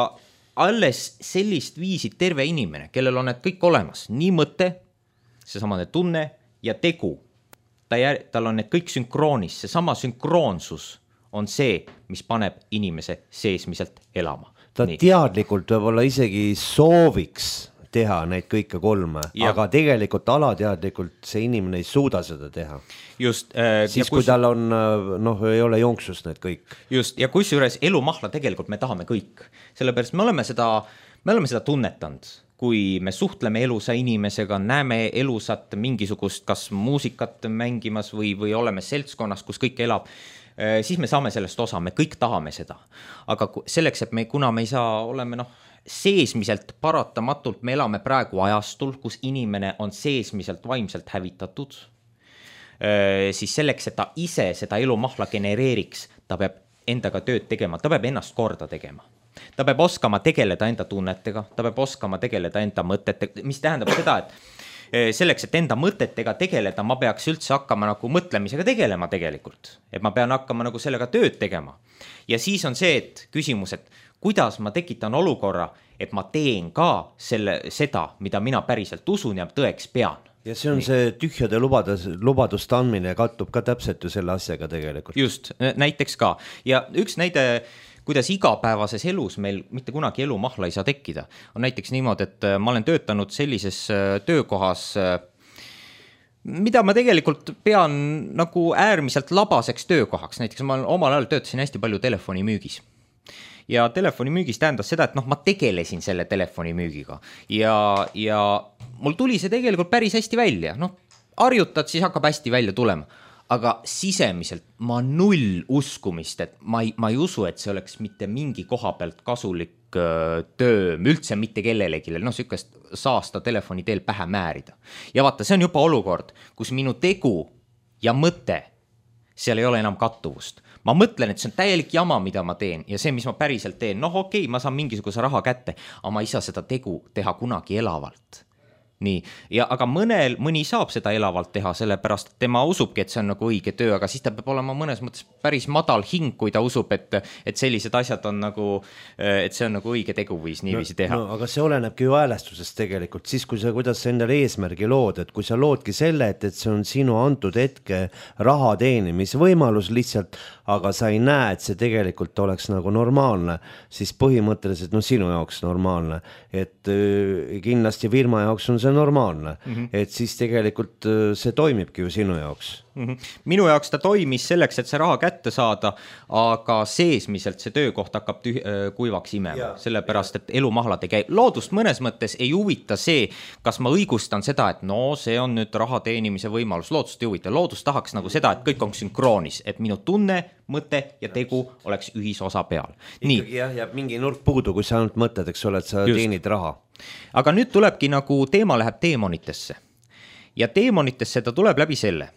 Speaker 2: alles sellist viisid terve inimene, kellel on need kõik olemas, nii mõte, seesama tunne ja tegu, tal on need kõik sünkroonis, seesama sünkroonsus on see, mis paneb inimese seesmiselt elama.
Speaker 1: Ta nii. Teadlikult võib-olla isegi sooviks teha neid kõike kolme, aga tegelikult alateadlikult see inimene ei suuda seda teha. Just. Siis kui tal on, ei ole jonksust need kõik.
Speaker 2: Just, ja kusjuures elumahla tegelikult me tahame kõik. Sellepärast me oleme seda tunnetanud, kui me suhtleme elusa inimesega, näeme elusat mingisugust kas muusikat mängimas või oleme seltskonnas, kus kõik elab, siis me saame sellest osa, me kõik tahame seda. Aga selleks, et kuna me ei saa, oleme seesmiselt paratamatult, me elame praegu ajastul, kus inimene on seesmiselt vaimselt hävitatud, siis selleks, et ta ise seda elumahla genereeriks, ta peab endaga tööd tegema, ta peab ennast korda tegema. Ta peab oskama tegeleda enda tunnetega, ta peab oskama tegeleda enda mõtetega, mis tähendab seda, et selleks, et enda mõtetega tegeleda, ma peaks üldse hakkama nagu mõtlemisega tegelema tegelikult. Et ma pean hakkama nagu sellega tööd tegema. Ja siis on see, et küsimus, et kuidas ma tekitan olukorra, et ma teen ka seda, mida mina päriselt usun ja tõeks pean.
Speaker 1: Ja see on see tühjade lubaduste andmine ja kattub ka täpselt ju selle asjaga tegelikult.
Speaker 2: Just, näiteks ka. Ja üks näide, kuidas igapäevases elus meil mitte kunagi elumahla ei saa tekkida, on näiteks niimoodi, et ma olen töötanud sellises töökohas, mida ma tegelikult pean nagu äärmiselt labaseks töökohaks. Näiteks ma omal ajal töötasin hästi palju telefonimüügis. Ja telefonimüügis tähendas seda, et ma tegelesin selle telefonimüügiga ja mul tuli see tegelikult päris hästi välja. Harjutad, siis hakkab hästi välja tulema. Aga sisemiselt ma null uskumist, et ma ei usu, et see oleks mitte mingi koha pealt kasulik töö, üldse mitte kellelegi, noh, sükest saasta telefoni teel pähe määrida. Ja vaata, see on juba olukord, kus minu tegu ja mõte, seal ei ole enam kattuvust. Ma mõtlen, et see on täielik jama, mida ma teen ja see, mis ma päriselt teen, noh okei, ma saan mingisuguse raha kätte, aga ma ei saa seda tegu teha kunagi elavalt. Nii, ja aga mõni saab seda elavalt teha, sellepärast tema usubki, et see on nagu õige töö, aga siis ta peab olema mõnes mõttes päris madal hing, kui ta usub, et sellised asjad on nagu, et see on nagu õige teguviis niiviisi teha.
Speaker 1: No, aga see olenebki ju häälestusest tegelikult, siis kui kuidas sa endale eesmärgi lood, et kui sa loodki selle, et see on sinu antud hetke raha teenimisvõimalus lihtsalt, aga sa ei näe, et see tegelikult oleks nagu normaalne, siis põhimõtteliselt sinu jaoks normaalne, et kindlasti firma jaoks on see normaalne, et siis tegelikult see toimibki ju sinu jaoks.
Speaker 2: Minu jaoks ta toimis selleks, et see raha kätte saada, aga seesmiselt see töökoht hakkab kuivaks imema, sellepärast, et elumahlad ei käi. Loodust mõnes mõttes ei huvita see, kas ma õigustan seda, et no see on nüüd raha teenimise võimalus, loodust ei huvita. Loodust tahaks nagu seda, et kõik on sünkroonis, et minu tunne, mõte ja tegu oleks ühisosa peal.
Speaker 1: Ikkagi jah, jääb mingi nurk puudu, kui sa ainult mõtled, eks ole, et sa teenid raha.
Speaker 2: Aga nüüd tulebki nagu teema läheb teemonitesse ja teemonitesse ta tuleb läbi selle,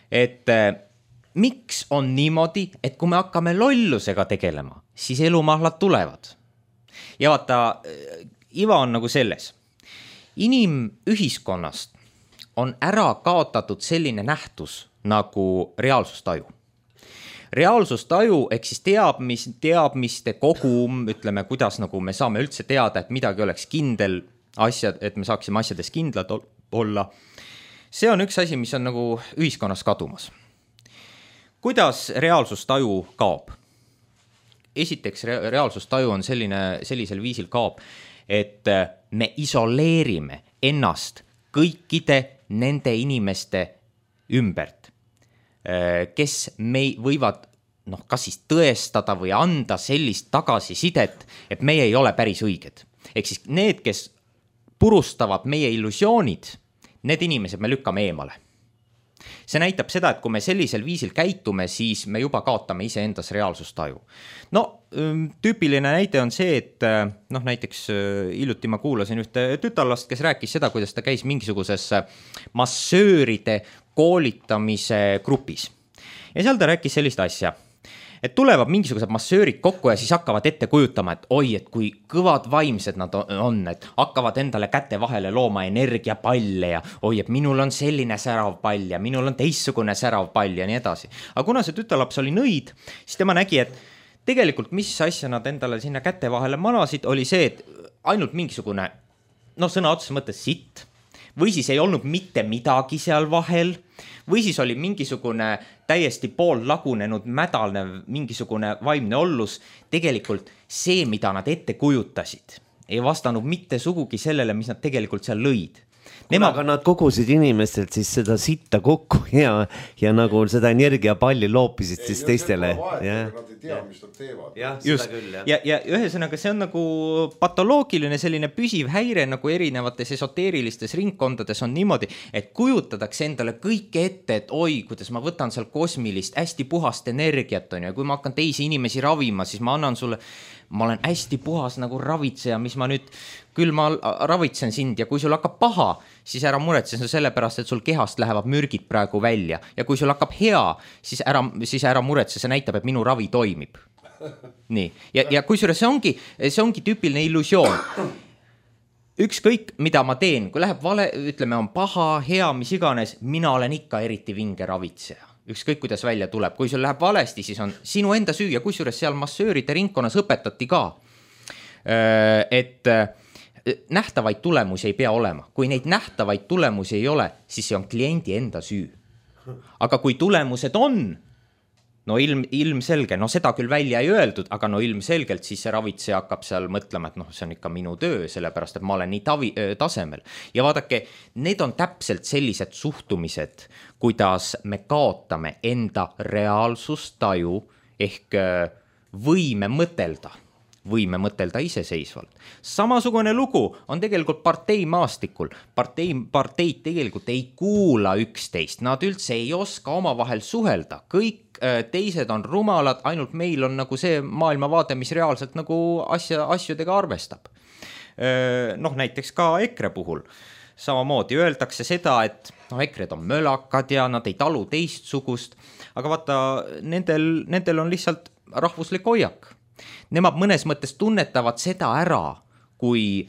Speaker 2: et miks on niimoodi, et kui me hakkame lollusega tegelema, siis elumahlad tulevad. Ja vaata, iva on nagu selles. Inimühiskonnast on ära kaotatud selline nähtus nagu reaalsustaju. Reaalsustaju ehk siis teadmiste kogum, ütleme, kuidas nagu me saame üldse teada, et midagi oleks kindel asjad, et me saaksime asjades kindlad olla. See on üks asi, mis on nagu ühiskonnas kadumas. Kuidas reaalsustaju kaob? Esiteks, reaalsustaju on sellisel viisil kaob, et me isoleerime ennast kõikide nende inimeste ümbert, kes me võivad kas siis tõestada või anda sellist tagasisidet, et meie ei ole päris õiged. Ehk siis need, kes purustavad meie illusioonid, need inimesed me lükkame eemale. See näitab seda, et kui me sellisel viisil käitume, siis me juba kaotame iseendas reaalsustaju. No, tüüpiline näide on see, et näiteks hiljuti ma kuulasin ühte tütarlast, kes rääkis seda, kuidas ta käis mingisuguses massööride koolitamise grupis. Ja seal ta rääkis sellist asja, et tulevad mingisugused massöörid kokku ja siis hakkavad ette kujutama, et oi, et kui kõvad vaimsed nad on, et hakkavad endale käte vahele looma energiapalle ja oi, et minul on selline särav pall ja minul on teissugune särav pall ja nii edasi. Aga kuna see tütarlaps oli nõid, siis tema nägi, et tegelikult mis asja nad endale sinna käte vahele manasid, oli see, et ainult mingisugune, sõna otseses mõttes sitt, või siis ei olnud mitte midagi seal vahel, või siis oli mingisugune täiesti pool lagunenud mädalnev mingisugune vaimne ollus. Tegelikult see, mida nad ette kujutasid, ei vastanud mitte sugugi sellele, mis nad tegelikult seal lõid.
Speaker 1: Aga nad kogusid inimestelt siis seda sitta kokku ja nagu seda energiapalli loopisid siis teistele.
Speaker 3: Nad ei tea, mis nad teevad.
Speaker 2: Just. Ja ühesõnaga see on nagu patoloogiline selline püsiv häire nagu erinevates esoteerilistes ringkondades on niimoodi, et kujutatakse endale kõike ette, et oi, kuidas ma võtan seal kosmilist hästi puhast energiat on ja kui ma hakkan teisi inimesi ravima, siis ma annan sulle, ma olen hästi puhas nagu ravitseja, mis ma nüüd, küll ma ravitsen sind ja kui sul hakkab paha, siis ära muretse sellepärast, et sul kehast lähevad mürgid praegu välja ja kui sul hakkab hea, siis ära muretse, see näitab, et minu ravi toimib. Nii, ja kusjuures see ongi tüüpiline illusioon. Ükskõik, mida ma teen, kui läheb vale, ütleme, on paha, hea, mis iganes, mina olen ikka eriti vinge ravitseja. Ükskõik, kuidas välja tuleb. Kui sul läheb valesti, siis on sinu enda süü ja kusjuures seal massööride ringkonnas õpetati ka, et nähtavaid tulemusi ei pea olema. Kui neid nähtavaid tulemusi ei ole, siis see on kliendi enda süü. Aga kui tulemused on, ilmselge, seda küll välja ei öeldud, aga ilmselgelt siis see ravitseja hakkab seal mõtlema, et see on ikka minu töö, sellepärast, et ma olen nii tasemel. Ja vaadake, need on täpselt sellised suhtumised, kuidas me kaotame enda reaalsustaju ehk võime mõtelda, võime mõtelda iseseisvalt. Samasugune lugu on tegelikult parteimaastikul. Parteid tegelikult ei kuula üksteist, nad üldse ei oska omavahel suhelda, kõik teised on rumalad, ainult meil on nagu see maailmavaade, mis reaalselt nagu asjadega arvestab. Noh, näiteks ka EKRE puhul samamoodi öeldakse seda, et EKRE-d on mölakad ja nad ei talu teistsugust, aga vaata, nendel on lihtsalt rahvuslik hoiak. Nemad mõnes mõttes tunnetavad seda ära, kui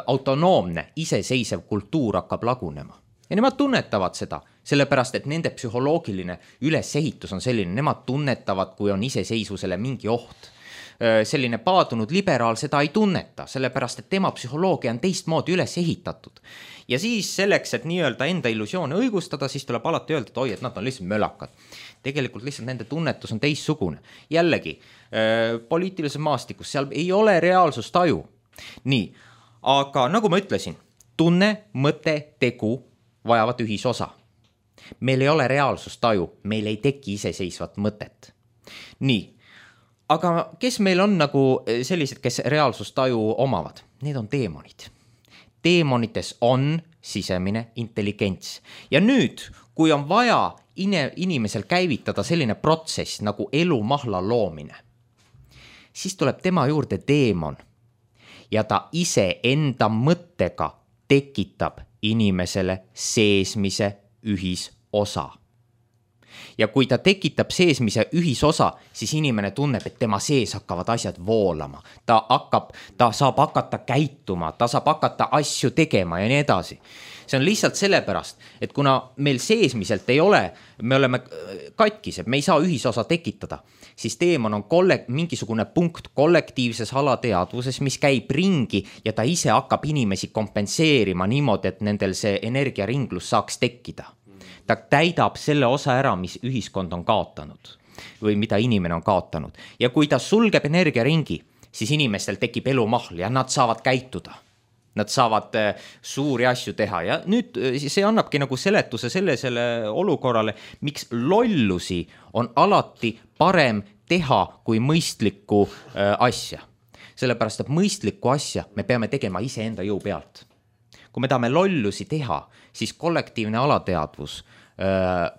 Speaker 2: autonoomne, iseseisev kultuur hakkab lagunema. Ja nemad tunnetavad seda, sellepärast, et nende psühholoogiline ülesehitus on selline, nemad tunnetavad, kui on iseseisvusele mingi oht. Selline paadunud liberaal seda ei tunneta, sellepärast, et tema psühholoogia on teistmoodi üles ehitatud. Ja siis selleks, et nii-öelda enda illusioone õigustada, siis tuleb alati öelda, et oi, et nad on lihtsalt mölakad. Tegelikult lihtsalt nende tunnetus on teistsugune. Jällegi, poliitilises maastikus, seal ei ole reaalsustaju. Nii, aga nagu ma ütlesin, tunne, mõte, tegu vajavad ühisosa. Meil ei ole reaalsustaju, meil ei teki iseseisvat mõtet. Nii, aga kes meil on nagu sellised, kes reaalsustaju omavad? Need on teemonid. Teemonites on sisemine intelligents. Ja nüüd, kui on vaja inimesel käivitada selline protsess nagu elumahla loomine, siis tuleb tema juurde teemon ja ta ise enda mõttega tekitab inimesele seesmise ühisosa. Ja kui ta tekitab seesmise ühisosa, siis inimene tunneb, et tema sees hakkavad asjad voolama. Ta saab hakata käituma, ta saab hakata asju tegema ja nii edasi. See on lihtsalt sellepärast, et kuna meil seesmiselt ei ole, me oleme katkised, me ei saa ühisosa tekitada, siis teemon on mingisugune punkt kollektiivses alateadvuses, mis käib ringi ja ta ise hakkab inimesi kompenseerima niimoodi, et nendel see energiaringlus saaks tekkida. Ta täidab selle osa ära, mis ühiskond on kaotanud või mida inimene on kaotanud. Ja kui ta sulgeb energiaringi, siis inimestel tekib elumahl ja nad saavad käituda. Nad saavad suuri asju teha ja nüüd see annabki nagu seletuse selle olukorrale, miks lollusi on alati parem teha kui mõistlikku asja. Sellepärast, et mõistlikku asja me peame tegema iseenda jõu pealt. Kui me tahame lollusi teha, siis kollektiivne alateadvus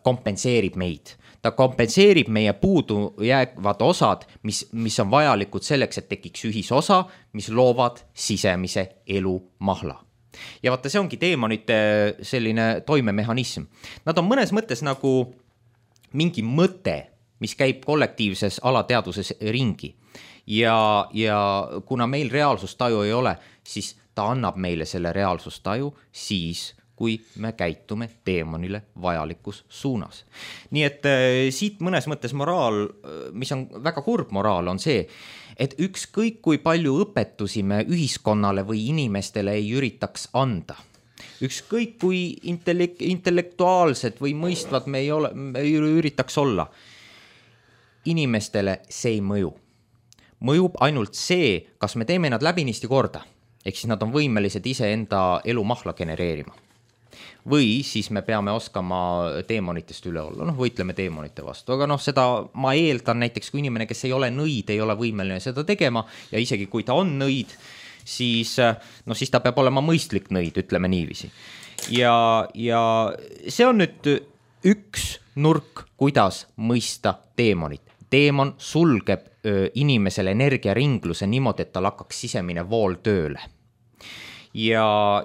Speaker 2: kompenseerib meid. Ta kompenseerib meie puudu jäävad osad, mis on vajalikud selleks, et tekiks ühisosa, mis loovad sisemise elumahla. Ja vaata, see ongi teemonite selline toimemehhanism. Nad on mõnes mõttes nagu mingi mõte, mis käib kollektiivses alateadvuses ringi. Ja kuna meil reaalsustaju ei ole, siis ta annab meile selle reaalsustaju siis, kui me käitume teemonile vajalikus suunas. Nii et siit mõnes mõttes moraal, mis on väga kurb moraal, on see, et ükskõik kui palju õpetusi me ühiskonnale või inimestele ei üritaks anda. Ükskõik kui intellektuaalsed või mõistvad me ei üritaks olla. Inimestele see ei mõju. Mõjub ainult see, kas me teeme nad läbinisti korda. Ehk siis nad on võimelised ise enda elumahla genereerima. Või siis me peame oskama teemonitest üle olla, võitleme teemonite vastu, aga seda ma eeldan näiteks, kui inimene, kes ei ole nõid, ei ole võimeline seda tegema ja isegi kui ta on nõid, siis ta peab olema mõistlik nõid, ütleme niiviisi. Ja see on nüüd üks nurk, kuidas mõista teemonit. Teemon sulgeb inimesele energiaringluse niimoodi, et tal hakkaks sisemine vool tööle. Ja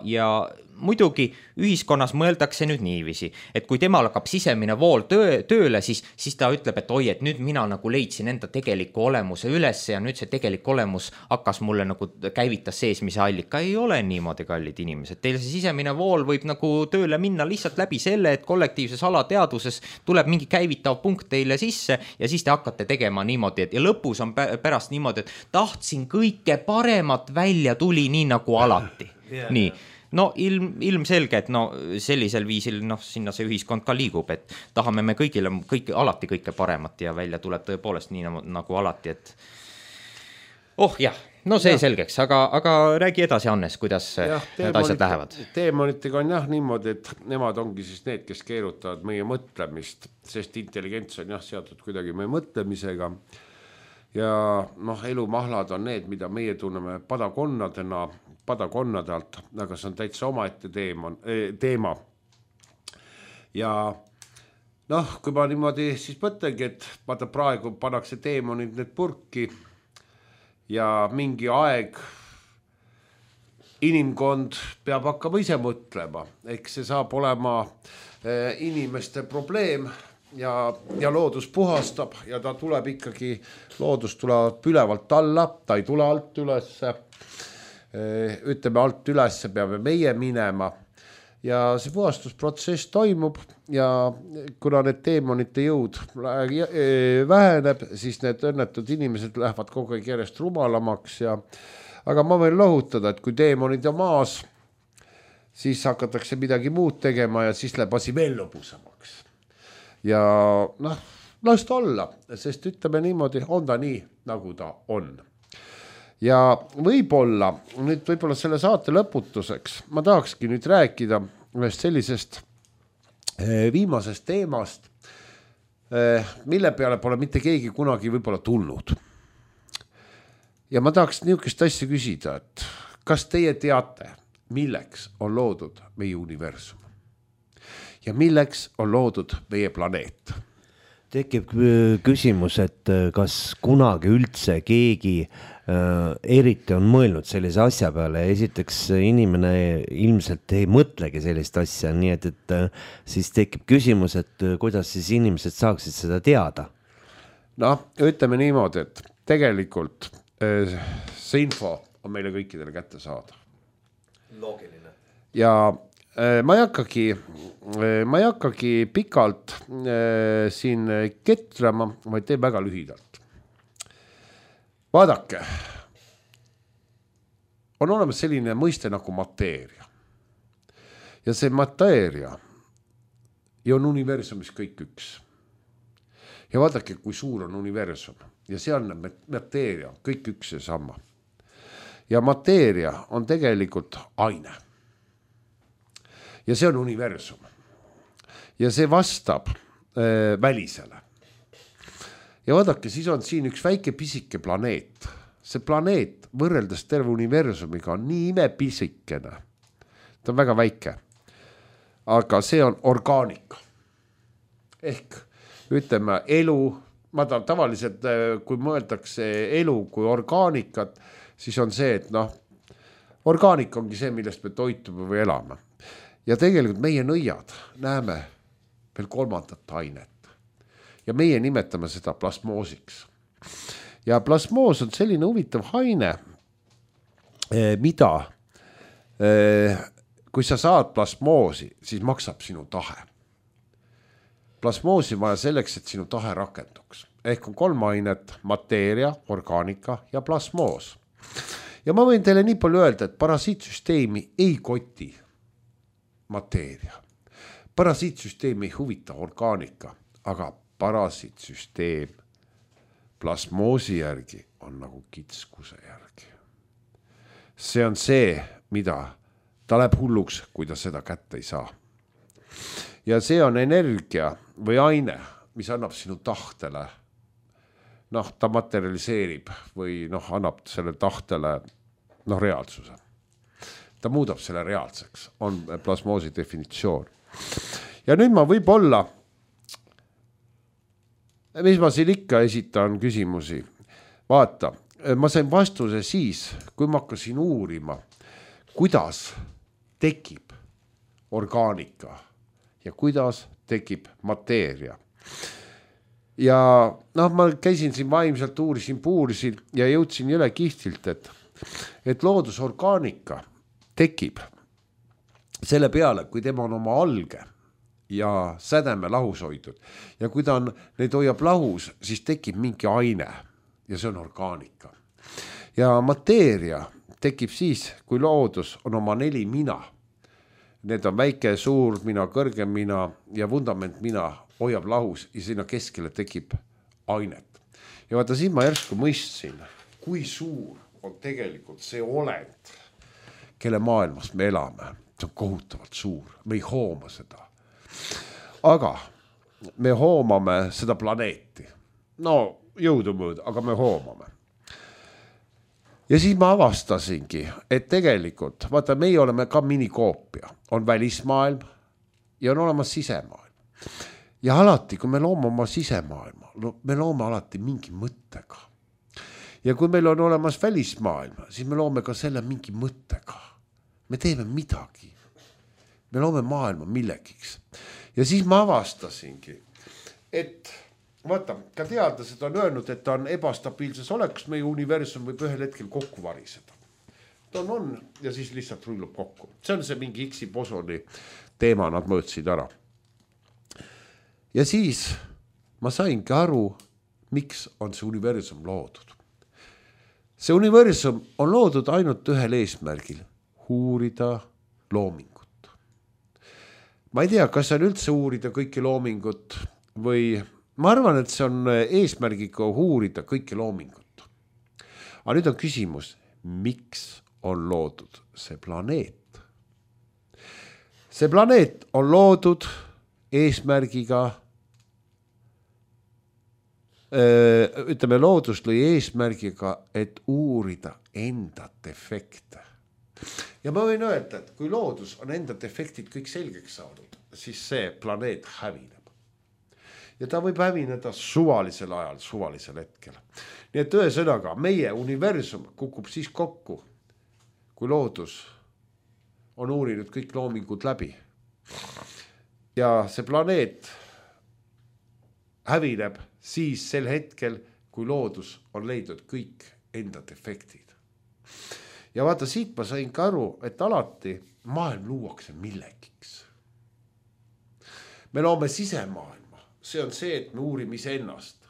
Speaker 2: muidugi ühiskonnas mõeldakse nüüd niiviisi, et kui temal hakkab sisemine vool tööle, siis ta ütleb, et oi, et nüüd mina nagu leidsin enda tegeliku olemuse üles ja nüüd see tegelik olemus hakkas mulle nagu käivitas seesmise allika. Ei ole niimoodi, kallid inimesed. Teil see sisemine vool võib nagu tööle minna lihtsalt läbi selle, et kollektiivses alateadvuses tuleb mingi käivitav punkt teile sisse ja siis te hakkate tegema niimoodi, ja lõpus on pärast niimoodi, et tahtsin kõike paremat välja tuli nii nagu alati. Nii. Ilmselge, et sellisel viisil sinna see ühiskond ka liigub, et tahame me alati kõike paremat ja välja tuleb tõepoolest nii nagu alati, et see selgeks, aga räägi edasi, Hannes, kuidas need asjad lähevad.
Speaker 3: Teemonitega on niimoodi, et nemad ongi siis need, kes keerutavad meie mõtlemist, sest intelligents on seotud kuidagi meie mõtlemisega ja noh, elumahlad on need, mida meie tunneme padakonnade alt, aga see on täitsa omaette teema. Ja noh, kui ma niimoodi siis mõtlengi, et vaata praegu pannakse teemonid need purki ja mingi aeg inimkond peab hakkama ise mõtlema, eks see saab olema inimeste probleem ja loodus puhastab ja ta tuleb ikkagi, loodus tuleb ülevalt alla, ta ei tule alt ülesse, ütleme alt ülesse peame meie minema ja see puhastusprotsess toimub ja kuna need teemonite jõud väheneb, siis need õnnetud inimesed lähevad kogu aeg järjest rumalamaks aga ma võin lohutada, et kui teemonid on maas, siis hakatakse midagi muud tegema ja siis läheb asi veel lõbusamaks. Ja noh, las ta olla, sest ütleme niimoodi, on ta nii, nagu ta on. Ja võib-olla selle saate lõputuseks ma tahakski nüüd rääkida ühest sellisest viimasest teemast, mille peale pole mitte keegi kunagi võib-olla tulnud. Ja ma tahaks niisugust asja küsida, et kas teie teate, milleks on loodud meie universum ja milleks on loodud meie planeet?
Speaker 1: Tekib küsimus, et kas kunagi üldse keegi eriti on mõelnud sellise asja peale. Esiteks inimene ilmselt ei mõtlegi sellist asja, nii et siis tekib küsimus, et kuidas siis inimesed saaksid seda teada?
Speaker 3: Noh, ütleme niimoodi, et tegelikult see info on meile kõikidele kätte saada.
Speaker 1: Loogiline.
Speaker 3: Ja ma ei hakkagi pikalt siin ketrama, vaid teen väga lühidalt. Vaadake, on olemas selline mõiste nagu mateeria. Ja see mateeria ja on universumis kõik üks. Ja vaadake, kui suur on universum. Ja see on mateeria, kõik üks ja sama. Ja mateeria on tegelikult aine. Ja see on universum. Ja see vastab välisele. Ja vaadake, siis on siin üks väike pisike planeet. See planeet võrreldes terve universumiga on nii imepisikene. Ta on väga väike. Aga see on orgaanika. Ehk ütleme elu, ma tavaliselt, kui mõeldakse elu kui orgaanikat, siis on see, et noh, orgaanika ongi see, millest me toitume või elame. Ja tegelikult meie nõiad näeme veel kolmandat ainet. Ja meie nimetame seda plasmoosiks. Ja plasmoos on selline huvitav aine, mida, kui sa saad plasmoosi, siis maksab sinu tahe. Plasmoosi vaja selleks, et sinu tahe rakenduks. Ehk on 3 ainet, mateeria, orgaanika ja plasmoos. Ja ma võin teile nii palju öelda, et parasiitsüsteemi ei koti mateeria. Parasiitsüsteemi ei huvita orgaanika, aga parasiitsüsteem plasmoosi järgi on nagu kitskuse järgi. See on see, mida ta läheb hulluks, kui ta seda kätte ei saa. Ja see on energia või aine, mis annab sinu tahtele, noh, ta materialiseerib või noh, annab selle tahtele reaalsuse. Ta muudab selle reaalseks, on plasmoosi definitsioon. Ja nüüd ma võib-olla, mis ma siin ikka esitan küsimusi, vaata, ma sain vastuse siis, kui ma hakkasin uurima, kuidas tekib orgaanika ja kuidas tekib mateeria. Ja noh, ma käisin siin vaimselt, puurisin ja jõudsin jõle kihtilt, et loodusorgaanika tekib selle peale, kui tema on oma alge ja sädeme lahus hoidnud. Ja kui ta on, neid hoiab lahus, siis tekib mingi aine ja see on orgaanika. Ja mateeria tekib siis, kui loodus on oma 4 mina. Need on väike, suur mina, kõrgem mina ja vundament mina hoiab lahus ja sinna keskele tekib ainet. Ja vaata, siin ma järsku mõistsin, kui suur on tegelikult see olend, kelle maailmas me elame. See on kohutavalt suur, me ei hooma seda. Aga me hoomame seda planeeti. No jõudumööda, aga me hoomame. Ja siis ma avastasingi, et tegelikult, vaata, meie oleme ka minikoopia, on välismaailm ja on olemas sisemaailm. Ja alati, kui me loome oma sisemaailma, me loome alati mingi mõttega. Ja kui meil on olemas välismaailm, siis me loome ka selle mingi mõttega. Me teeme midagi. Me loome maailma millegiks. Ja siis ma avastasingi, et vaata, ka teadlased on öelnud, et ta on ebastabiilses olekus, meie universum võib ühel hetkel kokku variseda. Ta on ja siis lihtsalt rullub kokku. See on see mingi Higgsi bosoni teema, nad mõõtsid ära. Ja siis ma saingi aru, miks on see universum loodud. See universum on loodud ainult ühel eesmärgil, uurida loomingut. Ma ei tea, kas see on üldse uurida kõiki loomingut või ma arvan, et see on eesmärgiga uurida kõiki loomingut. Aga nüüd on küsimus, miks on loodud see planeet? See planeet on loodud eesmärgiga, ütleme, loodus lõi eesmärgiga, et uurida enda defekte. Ja ma võin öelda, et kui loodus on enda defektid kõik selgeks saanud, siis see planeet hävineb. Ja ta võib hävineda suvalisel ajal, suvalisel hetkel. Nii et ühesõnaga, meie universum kukub siis kokku, kui loodus on uurinud kõik loomingud läbi. Ja see planeet hävineb siis sel hetkel, kui loodus on leidnud kõik enda defektid. Ja vaata, siit ma sain ka aru, et alati maailm luuakse millegiks. Me loome sisemaailma. See on see, et me uurime iseennast.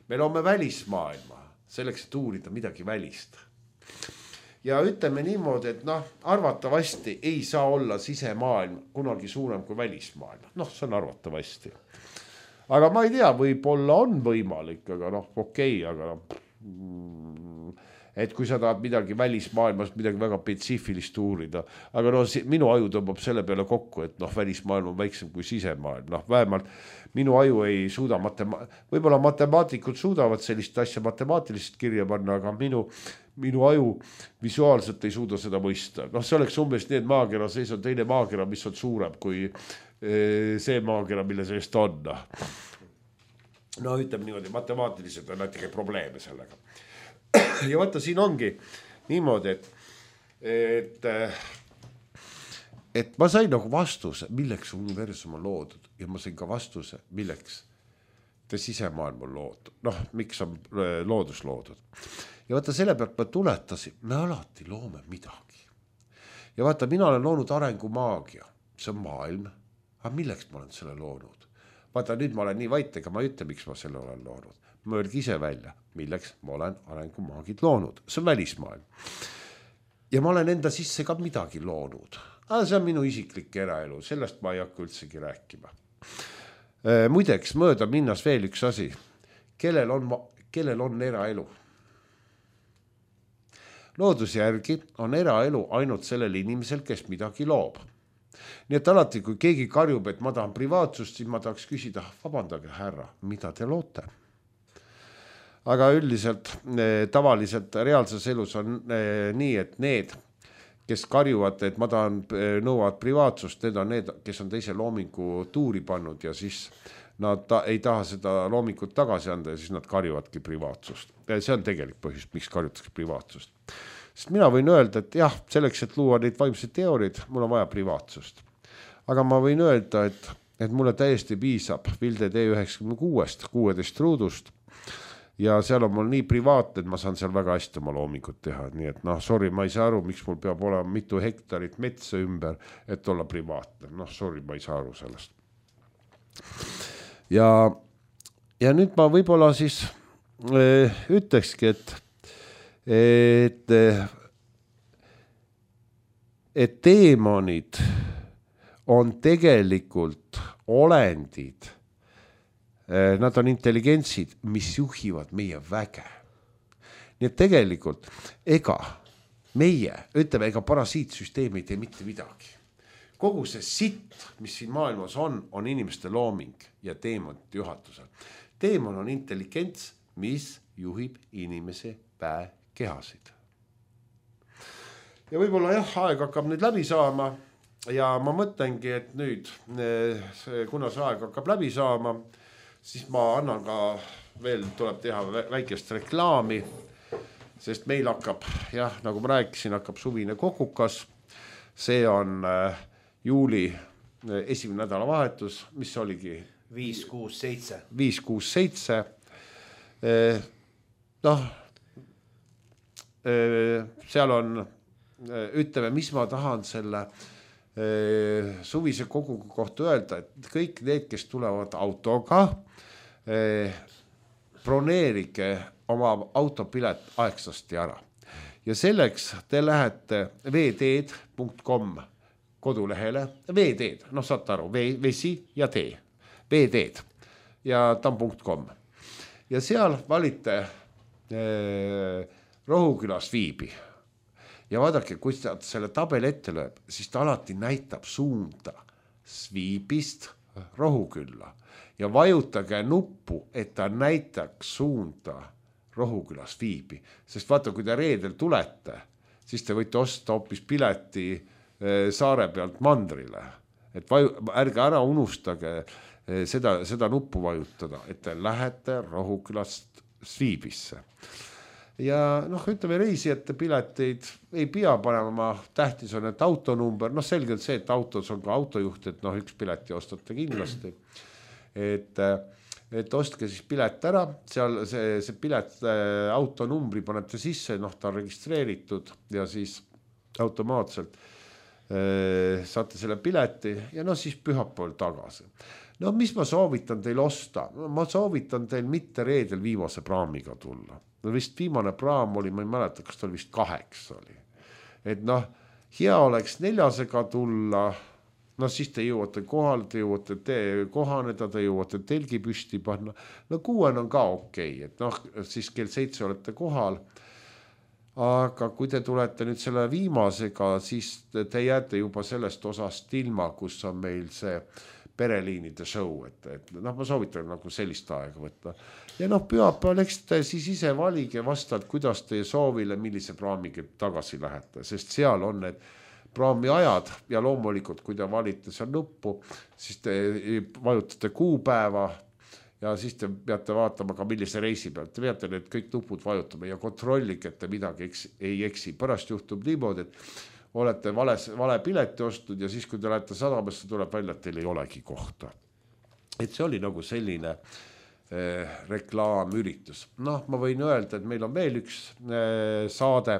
Speaker 3: Me loome välismaailma selleks, et uurida midagi välist. Ja ütleme niimoodi, et arvatavasti ei saa olla sisemaailm kunagi suurem kui välismaailm. See on arvatavasti. Aga ma ei tea, võib-olla on võimalik, aga okei, aga et kui sa tahad midagi välismaailmas, midagi väga spetsiifilist uurida, aga minu aju tõmbab selle peale kokku, et välismaailm on väiksem kui sisemaailm. Vähemalt minu aju ei suuda, võib-olla matemaatikud suudavad sellist asja matemaatiliselt kirja panna, aga minu aju visuaalselt ei suuda seda mõista. See oleks umbes nii, et maakera sees on teine maakera, mis on suurem kui see maakera, mille sees ta on. Ütleme niimoodi, matemaatiliselt on natuke probleeme sellega. Ja vaata, siin ongi niimoodi, et ma sain vastuse, milleks universum on loodud ja ma sain ka vastuse, milleks sisemaailm on loodud. Miks on loodus loodud. Ja vaata, selle pealt ma tuletasin, me alati loome midagi. Ja vaata, mina olen loonud arengumaagia, see on maailm, aga milleks ma olen selle loonud? Vaata, nüüd ma olen nii vait, ega ma ei ütle, miks ma selle olen loonud. Ma öelgi ise välja, milleks ma olen arengumaagid loonud. See on välismaailm. Ja ma olen enda sisse ka midagi loonud. See on minu isiklik eraelu, sellest ma ei hakka üldsegi rääkima. Muideks, mööda minnas veel üks asi. Kellel on eraelu? Looduse järgi on eraelu ainult sellel inimesel, kes midagi loob. Nii et alati, kui keegi karjub, et ma tahan privaatsust, siis ma tahaks küsida, vabandage härra, mida te loote? Aga üldiselt, tavaliselt reaalses elus on nii, et need, kes karjuvad, et ma tahan nõuavad privaatsust, need on need, kes on teise loomingu tuuri pannud ja siis nad ei taha seda loomingut tagasi anda ja siis nad karjuvadki privaatsust. See on tegelik põhjus, miks karjutakse privaatsust. Sest mina võin öelda, et jah, selleks, et luua neid vaimseid teooriid, mul on vaja privaatsust. Aga ma võin öelda, et mulle täiesti piisab Vilde D96, 16 ruudust ja seal on mul nii privaatne, et ma saan seal väga hästi oma loomingut teha. Nii et sorry, ma ei saa aru, miks mul peab olema mitu hektarit metsa ümber, et olla privaatne. Sorry, ma ei saa aru sellest. Ja nüüd ma võib-olla siis ütlekski, et teemonid on tegelikult olendid, nad on intelligentsid, mis juhivad meie väge. Nii et tegelikult ega parasiitsüsteem ei tee mitte midagi. Kogu see sitt, mis siin maailmas on inimeste looming ja teemonite juhatusel. Teemon on intelligents, mis juhib inimese päekehasid. Ja võib-olla aeg hakkab nüüd läbi saama ja ma mõtlengi, et nüüd, kuna see aeg hakkab läbi saama, siis ma annan ka veel, tuleb teha väikest reklaami, sest meil hakkab, nagu ma rääkisin, hakkab suvine kokukas. See on juuli esimene nädalavahetus, mis oligi
Speaker 1: 5-6-7.
Speaker 3: 5-6-7. Seal on, ütleme, mis ma tahan selle suvise koguga kohta öelda, et kõik need, kes tulevad autoga, broneerige oma autopilet aegsasti ära. Ja selleks te lähete veeteed.com kodulehele, veeteed, saate aru, vesi ja tee, veeteed ja tam.com. Ja seal valite Rohukülas Viibi. Ja vaadake, kui ta selle tabeli ette lööb, siis ta alati näitab suunda Viibist Rohukülla. Ja vajutage nuppu, et ta näitaks suunda Rohukülas Viibi. Sest vaata, kui te reedel tulete, siis te võite osta hoopis pileti saare pealt mandrile. Et ärge ära unustage seda nuppu vajutada, et te lähete Rohukülast Viibisse. Ja ütleme, reisijate pileteid ei pea panema, tähtis on, et autonumber, selgelt see, et autos on ka autojuht, et üks pileti ostate kindlasti. Et ostke siis pilet ära, seal see pilet autonumbri panete sisse, ta on registreeritud ja siis automaatselt saate selle pileti ja siis pühapäeval tagasi. Mis ma soovitan teil osta? Ma soovitan teil mitte reedel viimase praamiga tulla. Vist viimane praam oli, ma ei mäleta, kas ta vist 8 oli. Et hea oleks 4-sega tulla, siis te jõuate kohale, te jõuate kohaneda, te jõuate telgi püsti panna. 6 on ka okei, et siis kell 7 olete kohal. Aga kui te tulete nüüd selle viimasega, siis te jääte juba sellest osast ilma, kus on meil see pereliinide show, et ma soovitan sellist aega võtta. Ja pühapäeval, eks te siis ise valige vastavalt, kuidas teie soovile, millise praamiga tagasi lähete, sest seal on need praami ajad ja loomulikult, kui te valite seal nuppu, siis te vajutate kuupäeva ja siis te peate vaatama ka millise reisi pealt. Te peate need kõik nupud vajutama ja kontrollige, et te midagi ei eksi. Pärast juhtub niimoodi, et olete vale pileti ostnud ja siis, kui te lähete sadamasse, tuleb välja, et teil ei olegi kohta. Et see oli selline reklaamüritus. Ma võin öelda, et meil on veel üks saade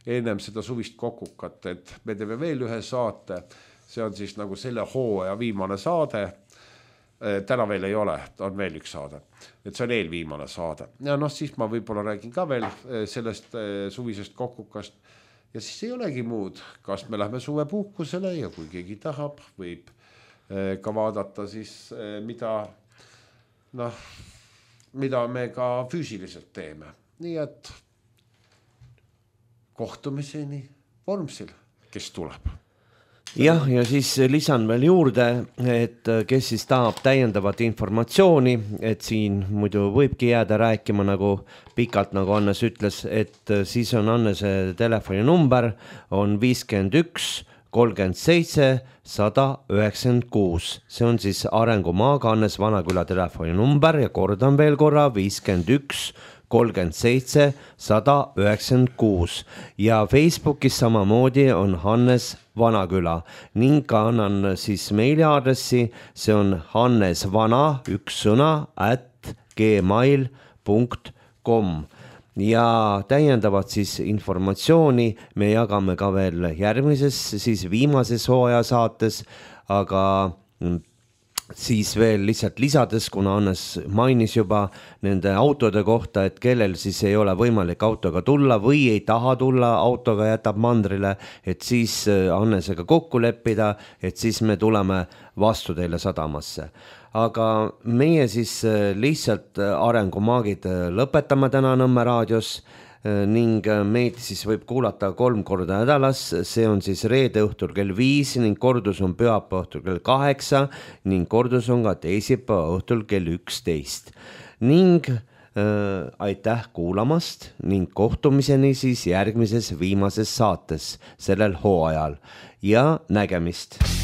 Speaker 3: ennem seda suvist kokukat, et me teeme veel ühe saate. See on siis selle hooaja viimane saade. Täna veel ei ole, on veel üks saade. Et see on eelviimane saade. Ja siis ma võib-olla räägin ka veel sellest suvisest kokukast. Ja siis ei olegi muud, kas me lähme suvepuhkusele ja kui keegi tahab, võib ka vaadata siis, mida me ka füüsiliselt teeme. Nii et kohtumiseni Vormsil, kes tuleb.
Speaker 1: Ja siis lisan veel juurde, et kes siis tahab täiendavat informatsiooni, et siin muidu võibki jääda rääkima pikalt, nagu Hannes ütles, et siis on Hannese telefoninumber on 51 37 196. See on siis Arengumaaga Hannes Vanaküla telefoninumber ja kordan veel korra 51 37 196 ja Facebookis samamoodi on Hannes Vanaküla ning ka annan siis meiliaadressi, see on hannesvana, üks sõna, @gmail.com ja täiendavat siis informatsiooni me jagame ka veel järgmises, siis viimases hooaja saates, aga siis veel lihtsalt lisades, kuna Hannes mainis juba nende autode kohta, et kellel siis ei ole võimalik autoga tulla või ei taha tulla, autoga jätab mandrile, et siis Hannesega kokku leppida, et siis me tuleme vastu teile sadamasse. Aga meie siis lihtsalt Arengumaagid lõpetame täna Nõmme raadios ning meid siis võib kuulata 3 korda nädalas, see on siis reede õhtul kell 5 ning kordus on pühapäeva õhtul kell 8 ning kordus on ka teisipäeva õhtul kell 11. Ning aitäh kuulamast ning kohtumiseni siis järgmises viimases saates sellel hooajal ja nägemist.